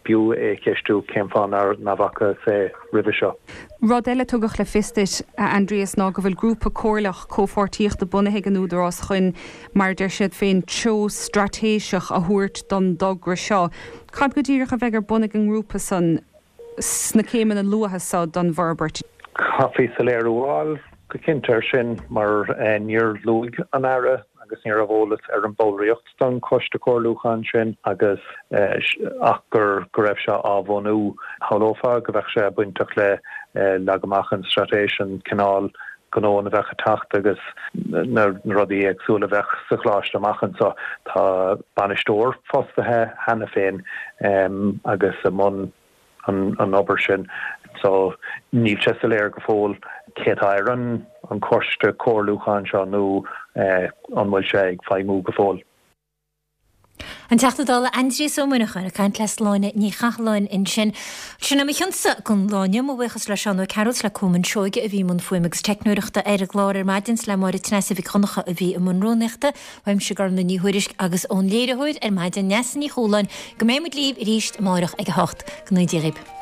Speaker 16: b'fhiú é a cheistiú cén fáth nár bhfacthas é roimhe seo.
Speaker 17: Rud eile a tugadh le fios duit, a Aindrias, ná go bhfuil grúpa comhairleach comhpháirtíochta bunaithe ag an Údarás chun, mar a deir siad féin, treo straitéiseach a thabhairt don dtogra seo. Cad go díreach a bheidh ar bun ag an ngrúpa san sna céimeanna luatha seo don bhforbairt?
Speaker 16: Chaithfí soiléiriú a fháil go cinnte air sin mar níor luaigh an Aire agus ní raibh eolas ar an bhallraíocht don choiste comhairliúcháin sin agus ach gur go raibh sé á bhunú. Shamhlófá go bheadh sé bainteach le leagadh amach an straitéis, an cineál gnó a bheadh ag teacht agus na rudaí éagsúla a bheadh sa choláiste amach anseo. Tá bainisteoir fostaithe cheana féin agus i mbun an obair sin so níl sé soiléir go fóill cé atá ar an choiste comhairliúcháin seo nó an bhfuil sé ag feidhmiú go fóill.
Speaker 1: An Teachta Dála Aindrias Ó Muineacháin ag caint le Sláine Ní Chathalláin ansin. Sin é mo chionsa don lá inniu. Mo bhuíochas le Seán Ó Cearúil 's le Colmán Seoige a bhí i mbun fuaime agus teicneoireachta ar an gclár ar maidin 's le Máire Treasa Mhic Dhonncha a bhí i mbun rúnaíochta. Uaimse Gormlaith Ní Thuairisg agus ón léiritheoir ar maidin Neasa Ní Chualáin go mbeidh muid libh arís amárach ag 8. Go ngnóthaí Dia dhaoibh.